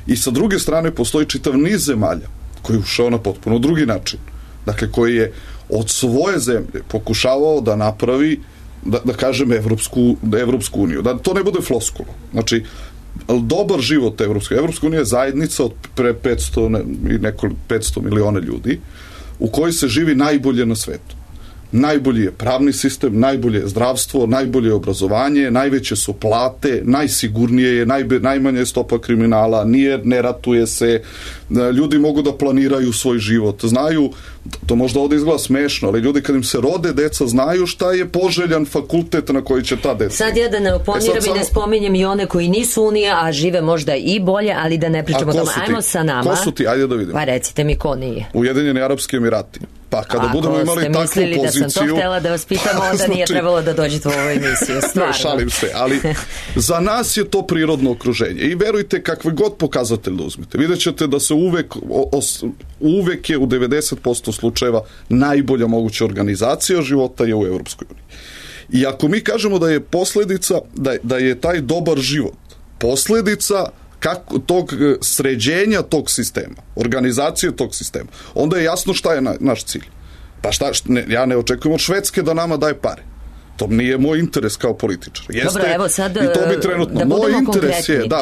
[SPEAKER 5] I sa druge strane postoji čitav niz zemalja koji je ušao na potpuno drugi način. Dakle, koji je od svoje zemlje pokušavao da napravi, da kažem, Evropsku uniju. Da to ne bude floskula. Znači, dobar život Evropska unija je zajednica od pre 500 miliona ljudi u kojoj se živi najbolje na svetu. Najbolji je pravni sistem, najbolje je zdravstvo, najbolje je obrazovanje, najveće su plate, najsigurnije je, najmanja je stopa kriminala, ne ratuje se, ljudi mogu da planiraju svoj život, znaju, to možda ovdje izgleda smešno, ali ljudi kad im se rode deca znaju šta je poželjan fakultet na koji će ta deca.
[SPEAKER 2] Sad ja da ne oponiram i ne spominjem i one koji nisu unija, a žive možda i bolje, ali da ne pričamo o tome. Ajmo sa nama.
[SPEAKER 5] Ko su ti? Ajde da vidimo.
[SPEAKER 2] Pa recite mi ko nije.
[SPEAKER 5] Ujedinjeni Arapski Emirati. Pa kada budemo imali takvu poziciju... Ako ste mislili da sam to htjela da vas pitam, onda nije trebalo da dođete u ovoj emisiju, stvarno. Šalim se, ali za nas je to prirodno okruženje i verujte kakve god pokazatelj da uzmete. Vidjet ćete da se uvek je u 90% slučajeva najbolja moguća organizacija života je u Evropskoj uniji. I ako mi kažemo da je posljedica, da je taj dobar život posljedica tog sređenja tog sistema, organizacije tog sistema, onda je jasno šta je naš cilj. Pa ja ne očekujem od Švedske da nama daje pare. To nije moj interes kao političar.
[SPEAKER 2] Dobro, evo sad
[SPEAKER 5] i to bi trenutno.
[SPEAKER 2] Da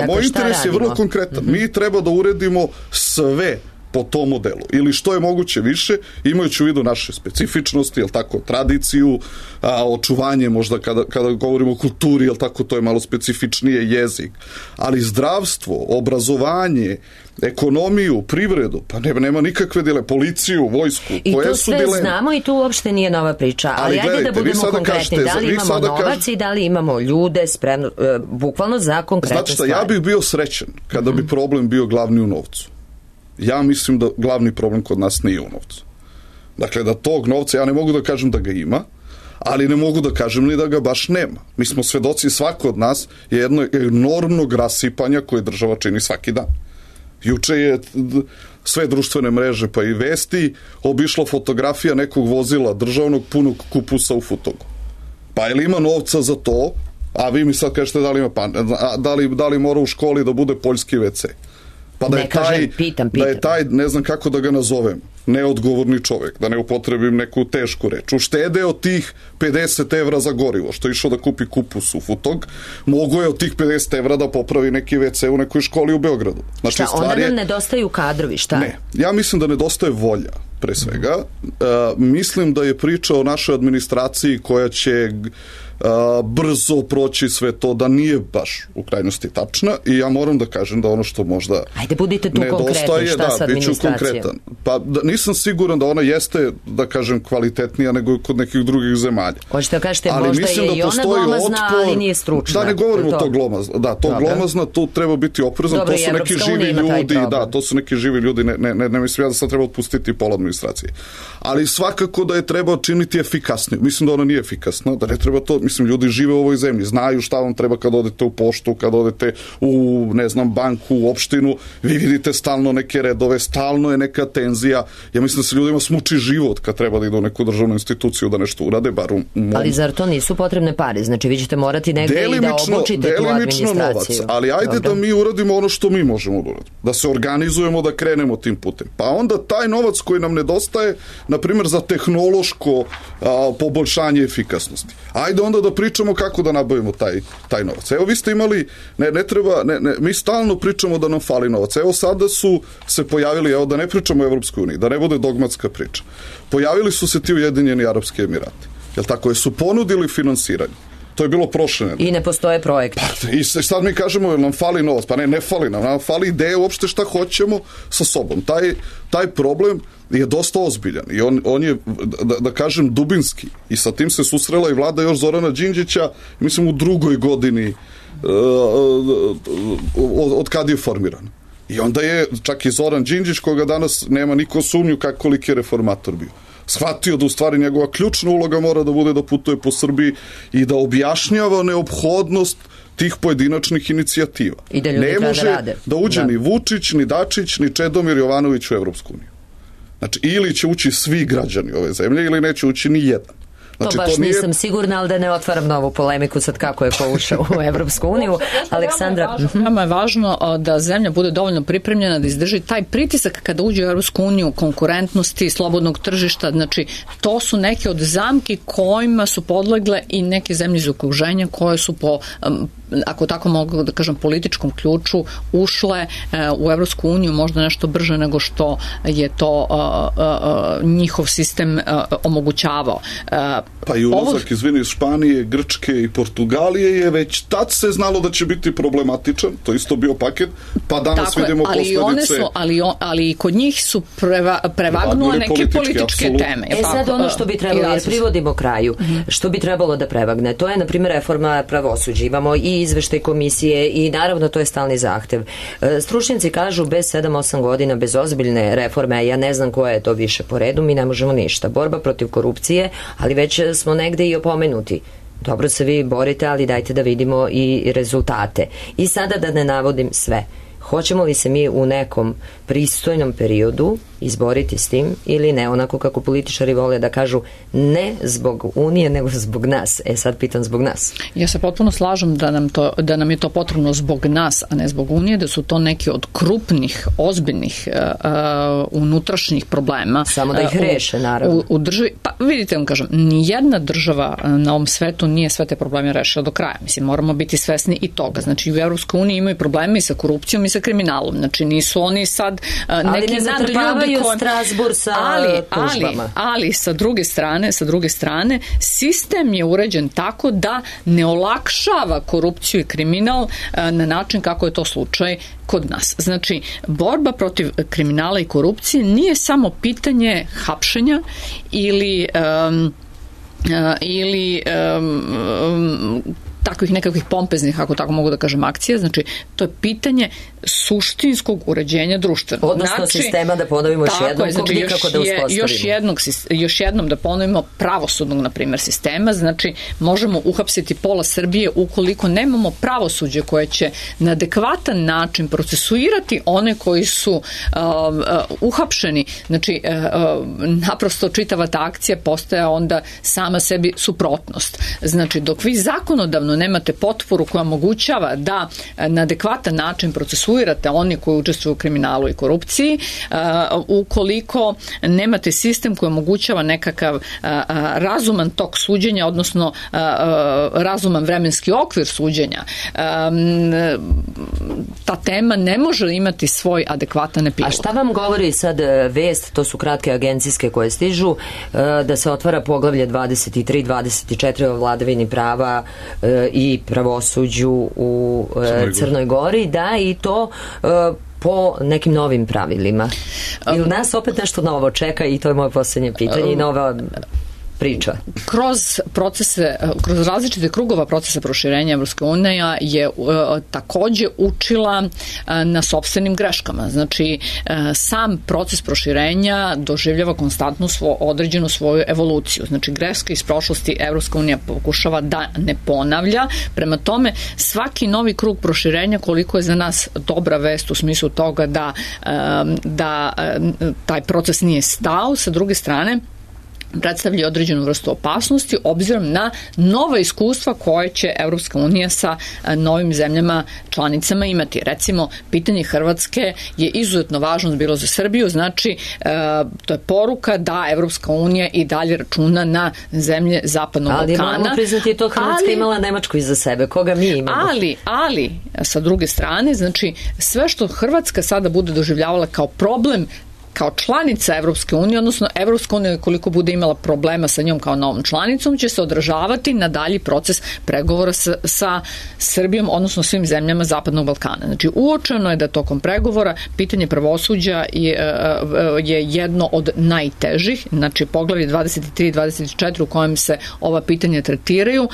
[SPEAKER 5] moj interes je vrlo konkretan. Mi treba da uredimo sve po tom modelu. Ili što je moguće više, imajući u vidu naše specifičnosti, jel tako, tradiciju, očuvanje možda kada govorimo o kulturi, jel tako, to je malo specifičnije, jezik. Ali zdravstvo, obrazovanje, ekonomiju, privredu, pa nema nikakve dileme, policiju, vojsku,
[SPEAKER 2] i koje su dileme. I to sve znamo i tu uopšte nije nova priča. Ali ajde da budemo konkretni. Da li imamo novac i da li imamo ljude spremno, bukvalno za konkretne stvari.
[SPEAKER 5] Ja bih bio srećan kada bi problem bio glavni u novcu. Ja mislim da glavni problem kod nas nije u novcu. Dakle, da tog novca, ja ne mogu da kažem da ga ima, ali ne mogu da kažem ni da ga baš nema. Mi smo svedoci, svako od nas je jedno enormnog rasipanja koje država čini svaki dan. Juče je sve društvene mreže pa i vesti obišla fotografija nekog vozila državnog punog kupusa u Futogu. Pa je li ima novca za to? A vi mi sad kažete da li mora u školi da bude poljski WC? Pa da je taj, ne znam kako da ga nazovem, neodgovorni čovjek, da ne upotrebim neku tešku reč, uštede od tih 50 evra za gorivo, što je išao da kupi kupus u Futog, mogu je od tih 50 evra da popravi neki WC u nekoj školi u Beogradu. Znači,
[SPEAKER 2] šta, onda nam nedostaju kadrovi, šta?
[SPEAKER 5] Ne, ja mislim da nedostaje volja, pre svega. Mislim da je priča o našoj administraciji koja će brzo proći sve to, da nije baš u krajnosti tačna, i ja moram da kažem da ono što možda
[SPEAKER 2] ajde, budite tu konkretni, šta sa administracijom?
[SPEAKER 5] Pa nisam siguran da ona jeste, da kažem, kvalitetnija nego kod nekih drugih zemalja.
[SPEAKER 2] Hoćete da kažete, možda je i ona glomazna, ali nije stručna.
[SPEAKER 5] Da, ne govorimo to glomazna. Da, to glomazna, tu treba biti oprezan, to su neki živi ljudi, to su neki živi ljudi, ne mislim ja da sad treba otpustiti pola administracije. Ali svakako da je treba činiti efikasnije. Mislim da ona nije efikasna, da ne treba to. Mislim, ljudi žive u ovoj zemlji, znaju šta vam treba kad odete u poštu, kad odete u, ne znam, banku, u opštinu, vi vidite stalno neke redove, stalno je neka tenzija. Ja mislim da se ljudima smuči život kad treba da idu u neku državnu instituciju da nešto urade, bar u mom.
[SPEAKER 2] Ali zar to nisu potrebne pare? Znači, vi ćete morati negde i da obučite tu administraciju.
[SPEAKER 5] Novac, ali ajde da mi uradimo ono što mi možemo da uradimo. Da se organizujemo, da krenemo tim putem. Pa onda taj novac koji nam nedostaje, na primjer, za tehnološko poboljšanje efikasnosti. Ajde onda da pričamo kako da nabavimo taj novac. Evo, vi ste imali, mi stalno pričamo da nam fali novac. Evo, sada su se pojavili, evo, da ne pričamo o Evropskoj uniji, da ne bude dogmatska priča. Pojavili su se ti Ujedinjeni Arapski Emirati. Jel tako? Su ponudili finansiranje. To je bilo prošle.
[SPEAKER 2] I ne postoje projekti.
[SPEAKER 5] I sad mi kažemo, jel nam fali novac? Pa ne fali nam fali ideje uopšte šta hoćemo sa sobom. Taj problem je dosta ozbiljan i on je, da kažem, dubinski, i sa tim se susrela i vlada još Zorana Đinđića, mislim, u drugoj godini od kad je formiran. I onda je čak i Zoran Đinđić, koga danas nema niko sumnju koliki je reformator bio, shvatio da u stvari njegova ključna uloga mora da bude da putuje po Srbiji i da objašnjava neophodnost tih pojedinačnih inicijativa.
[SPEAKER 2] I da ljudi
[SPEAKER 5] ne može
[SPEAKER 2] rade.
[SPEAKER 5] Da uđe ni Vučić, ni Dačić, ni Čedomir Jovanović u Evropsku uniju. Znači, ili će ući svi građani ove zemlje, ili neće ući ni jedan. Znači,
[SPEAKER 2] to baš nisam sigurna, ali da ne otvaram novu polemiku sad kako je ko ušao u Evropsku uniju. Aleksandra,
[SPEAKER 4] nama je važno da zemlja bude dovoljno pripremljena da izdrži taj pritisak kada uđe u Evropsku uniju, konkurentnosti, slobodnog tržišta. Znači, to su neke od zamki kojima su podlegle i neke zemlje iz okruženja koje su po, ako tako mogu da kažem, političkom ključu ušle u Evropsku uniju možda nešto brže nego što je to njihov sistem omogućavao.
[SPEAKER 5] Pa i ulazak, izvini, iz Španije, Grčke i Portugalije je već tad se znalo da će biti problematičan, to isto bio paket, pa danas tako vidimo posledice.
[SPEAKER 4] Ali kod njih su prevagnule neke političke teme.
[SPEAKER 2] Sad ono što bi trebalo, jer privodimo kraju, što bi trebalo da prevagne, to je, na primjer, reforma pravosuđa. Imamo i izveštaj komisije i naravno to je stalni zahtev. Stručnjaci kažu bez 7-8 godina, bez ozbiljne reforme, a ja ne znam koja je to više po redu, mi ne možemo ništa. Borba protiv korupcije, ali već smo negde i opomenuti. Dobro se vi borite, ali dajte da vidimo i rezultate. I sada da ne navodim sve. Hoćemo li se mi u nekom pristojnom periodu izboriti s tim ili ne, onako kako političari vole da kažu ne zbog Unije, nego zbog nas. Sad pitam zbog nas.
[SPEAKER 4] Ja se potpuno slažem da nam je to potrebno zbog nas, a ne zbog Unije, da su to neki od krupnih, ozbiljnih unutrašnjih problema.
[SPEAKER 2] Samo da ih reše, naravno.
[SPEAKER 4] U državi, pa vidite, vam kažem, nijedna država na ovom svetu nije sve te probleme rešila do kraja. Mislim, moramo biti svesni i toga. Znači, u Evropskoj uniji imaju probleme i sa korupcijom i sa kriminalom. Znači, nisu oni sad neki nadljudi
[SPEAKER 2] Strasbur sa tužbama.
[SPEAKER 4] Ali sa druge strane sistem je uređen tako da ne olakšava korupciju i kriminal na način kako je to slučaj kod nas. Znači, borba protiv kriminala i korupcije nije samo pitanje hapšenja ili takvih nekakvih pompeznih, ako tako mogu da kažem, akcija. Znači, to je pitanje suštinskog uređenja društvenog.
[SPEAKER 2] Odnosno sistema, da ponovimo još jednom,
[SPEAKER 4] znači,
[SPEAKER 2] nikako da uspostavimo.
[SPEAKER 4] Još jednom da ponovimo pravosudnog, na primjer, sistema. Znači, možemo uhapsiti pola Srbije ukoliko nemamo pravosuđe koje će na adekvatan način procesuirati one koji su uhapšeni. Znači, naprosto čitava ta akcija postaje onda sama sebi suprotnost. Znači, dok vi zakonodavno nemate potporu koja omogućava da na adekvatan način procesuirate oni koji učestvuju u kriminalu i korupciji, ukoliko nemate sistem koji omogućava nekakav razuman tok suđenja, odnosno razuman vremenski okvir suđenja, ta tema ne može imati svoj adekvatan epilog.
[SPEAKER 2] A šta vam govori sad vest, to su kratke agencijske koje stižu, da se otvara poglavlje 23, 24 o vladavini prava i pravosuđu u Crnoj Gori, da, i to po nekim novim pravilima. Ili nas opet nešto novo čeka, i to je moje posljednje pitanje i nova priča.
[SPEAKER 4] Kroz različite krugova procesa proširenja Evropske unije je takođe učila na sopstvenim greškama. Znači, sam proces proširenja doživljava konstantnu određenu svoju evoluciju. Znači, greške iz prošlosti Evropska unija pokušava da ne ponavlja. Prema tome, svaki novi krug proširenja, koliko je za nas dobra vest u smislu toga da taj proces nije stao, sa druge strane predstavlja određenu vrstu opasnosti obzirom na nova iskustva koje će Evropska unija sa novim zemljama članicama imati. Recimo, pitanje Hrvatske je izuzetno važno bilo za Srbiju, znači to je poruka da Evropska unija i dalje računa na zemlje Zapadnog Balkana.
[SPEAKER 2] Ali moramo priznati je to Hrvatska imala Nemačku iza sebe, koga mi imamo.
[SPEAKER 4] Ali, sa druge strane, znači sve što Hrvatska sada bude doživljavala kao problem kao članica Evropske unije, odnosno Evropska unija koliko bude imala problema sa njom kao novom članicom, će se odražavati na dalji proces pregovora sa Srbijom, odnosno svim zemljama Zapadnog Balkana. Znači, uočeno je da tokom pregovora pitanje pravosuđa je jedno od najtežih, znači poglavlje 23 i 24 u kojem se ova pitanja tretiraju,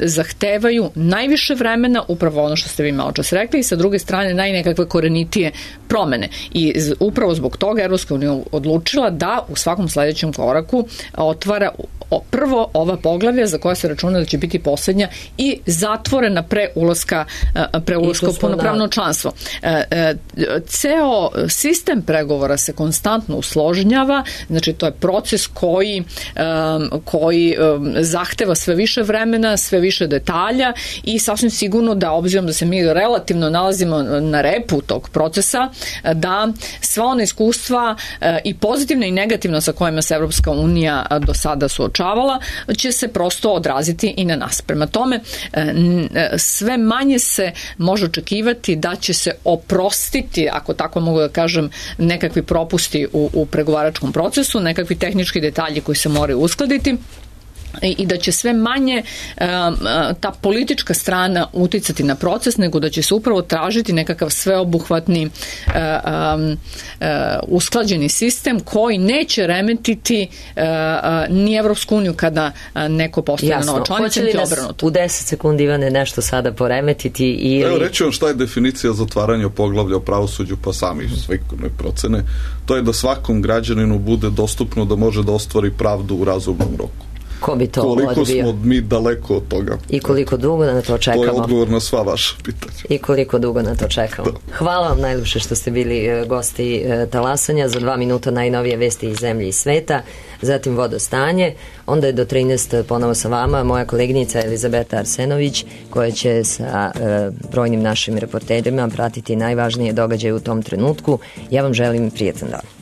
[SPEAKER 4] zahtevaju najviše vremena, upravo ono što ste vi malo čas rekli, i sa druge strane najnekakve korenitije promene. I upravo zbog toga Evropska unija odlučila da u svakom sledećem koraku otvara prvo ova poglavlja za koja se računa da će biti poslednja i zatvorena pre ulaska u punopravno članstvo. Ceo sistem pregovora se konstantno usložnjava, znači to je proces koji zahteva sve više vremena, sve više detalja i sasvim sigurno da obzirom da se mi relativno nalazimo na repu tog procesa, da sva ona iskustva i pozitivna i negativna sa kojima se Evropska unija do sada suočavala, će se prosto odraziti i na nas. Prema tome, sve manje se može očekivati da će se oprostiti, ako tako mogu da kažem, nekakvi propusti u pregovaračkom procesu, nekakvi tehnički detalji koji se moraju uskladiti, i da će sve manje ta politička strana uticati na proces, nego da će se upravo tražiti nekakav sveobuhvatni usklađeni sistem koji neće remetiti ni Evropsku uniju kada neko postane nova članica, niti obrnuto.
[SPEAKER 2] U 10 sekundi, Ivane, nešto sada poremetiti ili...
[SPEAKER 5] Evo, reći vam šta je definicija zatvaranja poglavlja o pravosuđu pa sami sveukupne procene. To je da svakom građaninu bude dostupno da može da ostvari pravdu u razumnom roku.
[SPEAKER 2] Ko bi to
[SPEAKER 5] koliko
[SPEAKER 2] odbio?
[SPEAKER 5] Smo mi daleko od toga.
[SPEAKER 2] I koliko dugo na to čekamo?
[SPEAKER 5] To je odgovor na sva vaša pitanja.
[SPEAKER 2] I koliko dugo na to čekamo? Da. Hvala vam najljepše što ste bili gosti Talasanja. Za 2 minuta najnovije vesti iz zemlje i sveta, zatim vodostanje, onda je do 13 ponovo sa vama moja koleginica Elizabeta Arsenović, koja će sa brojnim našim reporterima pratiti najvažnije događaje u tom trenutku. Ja vam želim prijetan dan.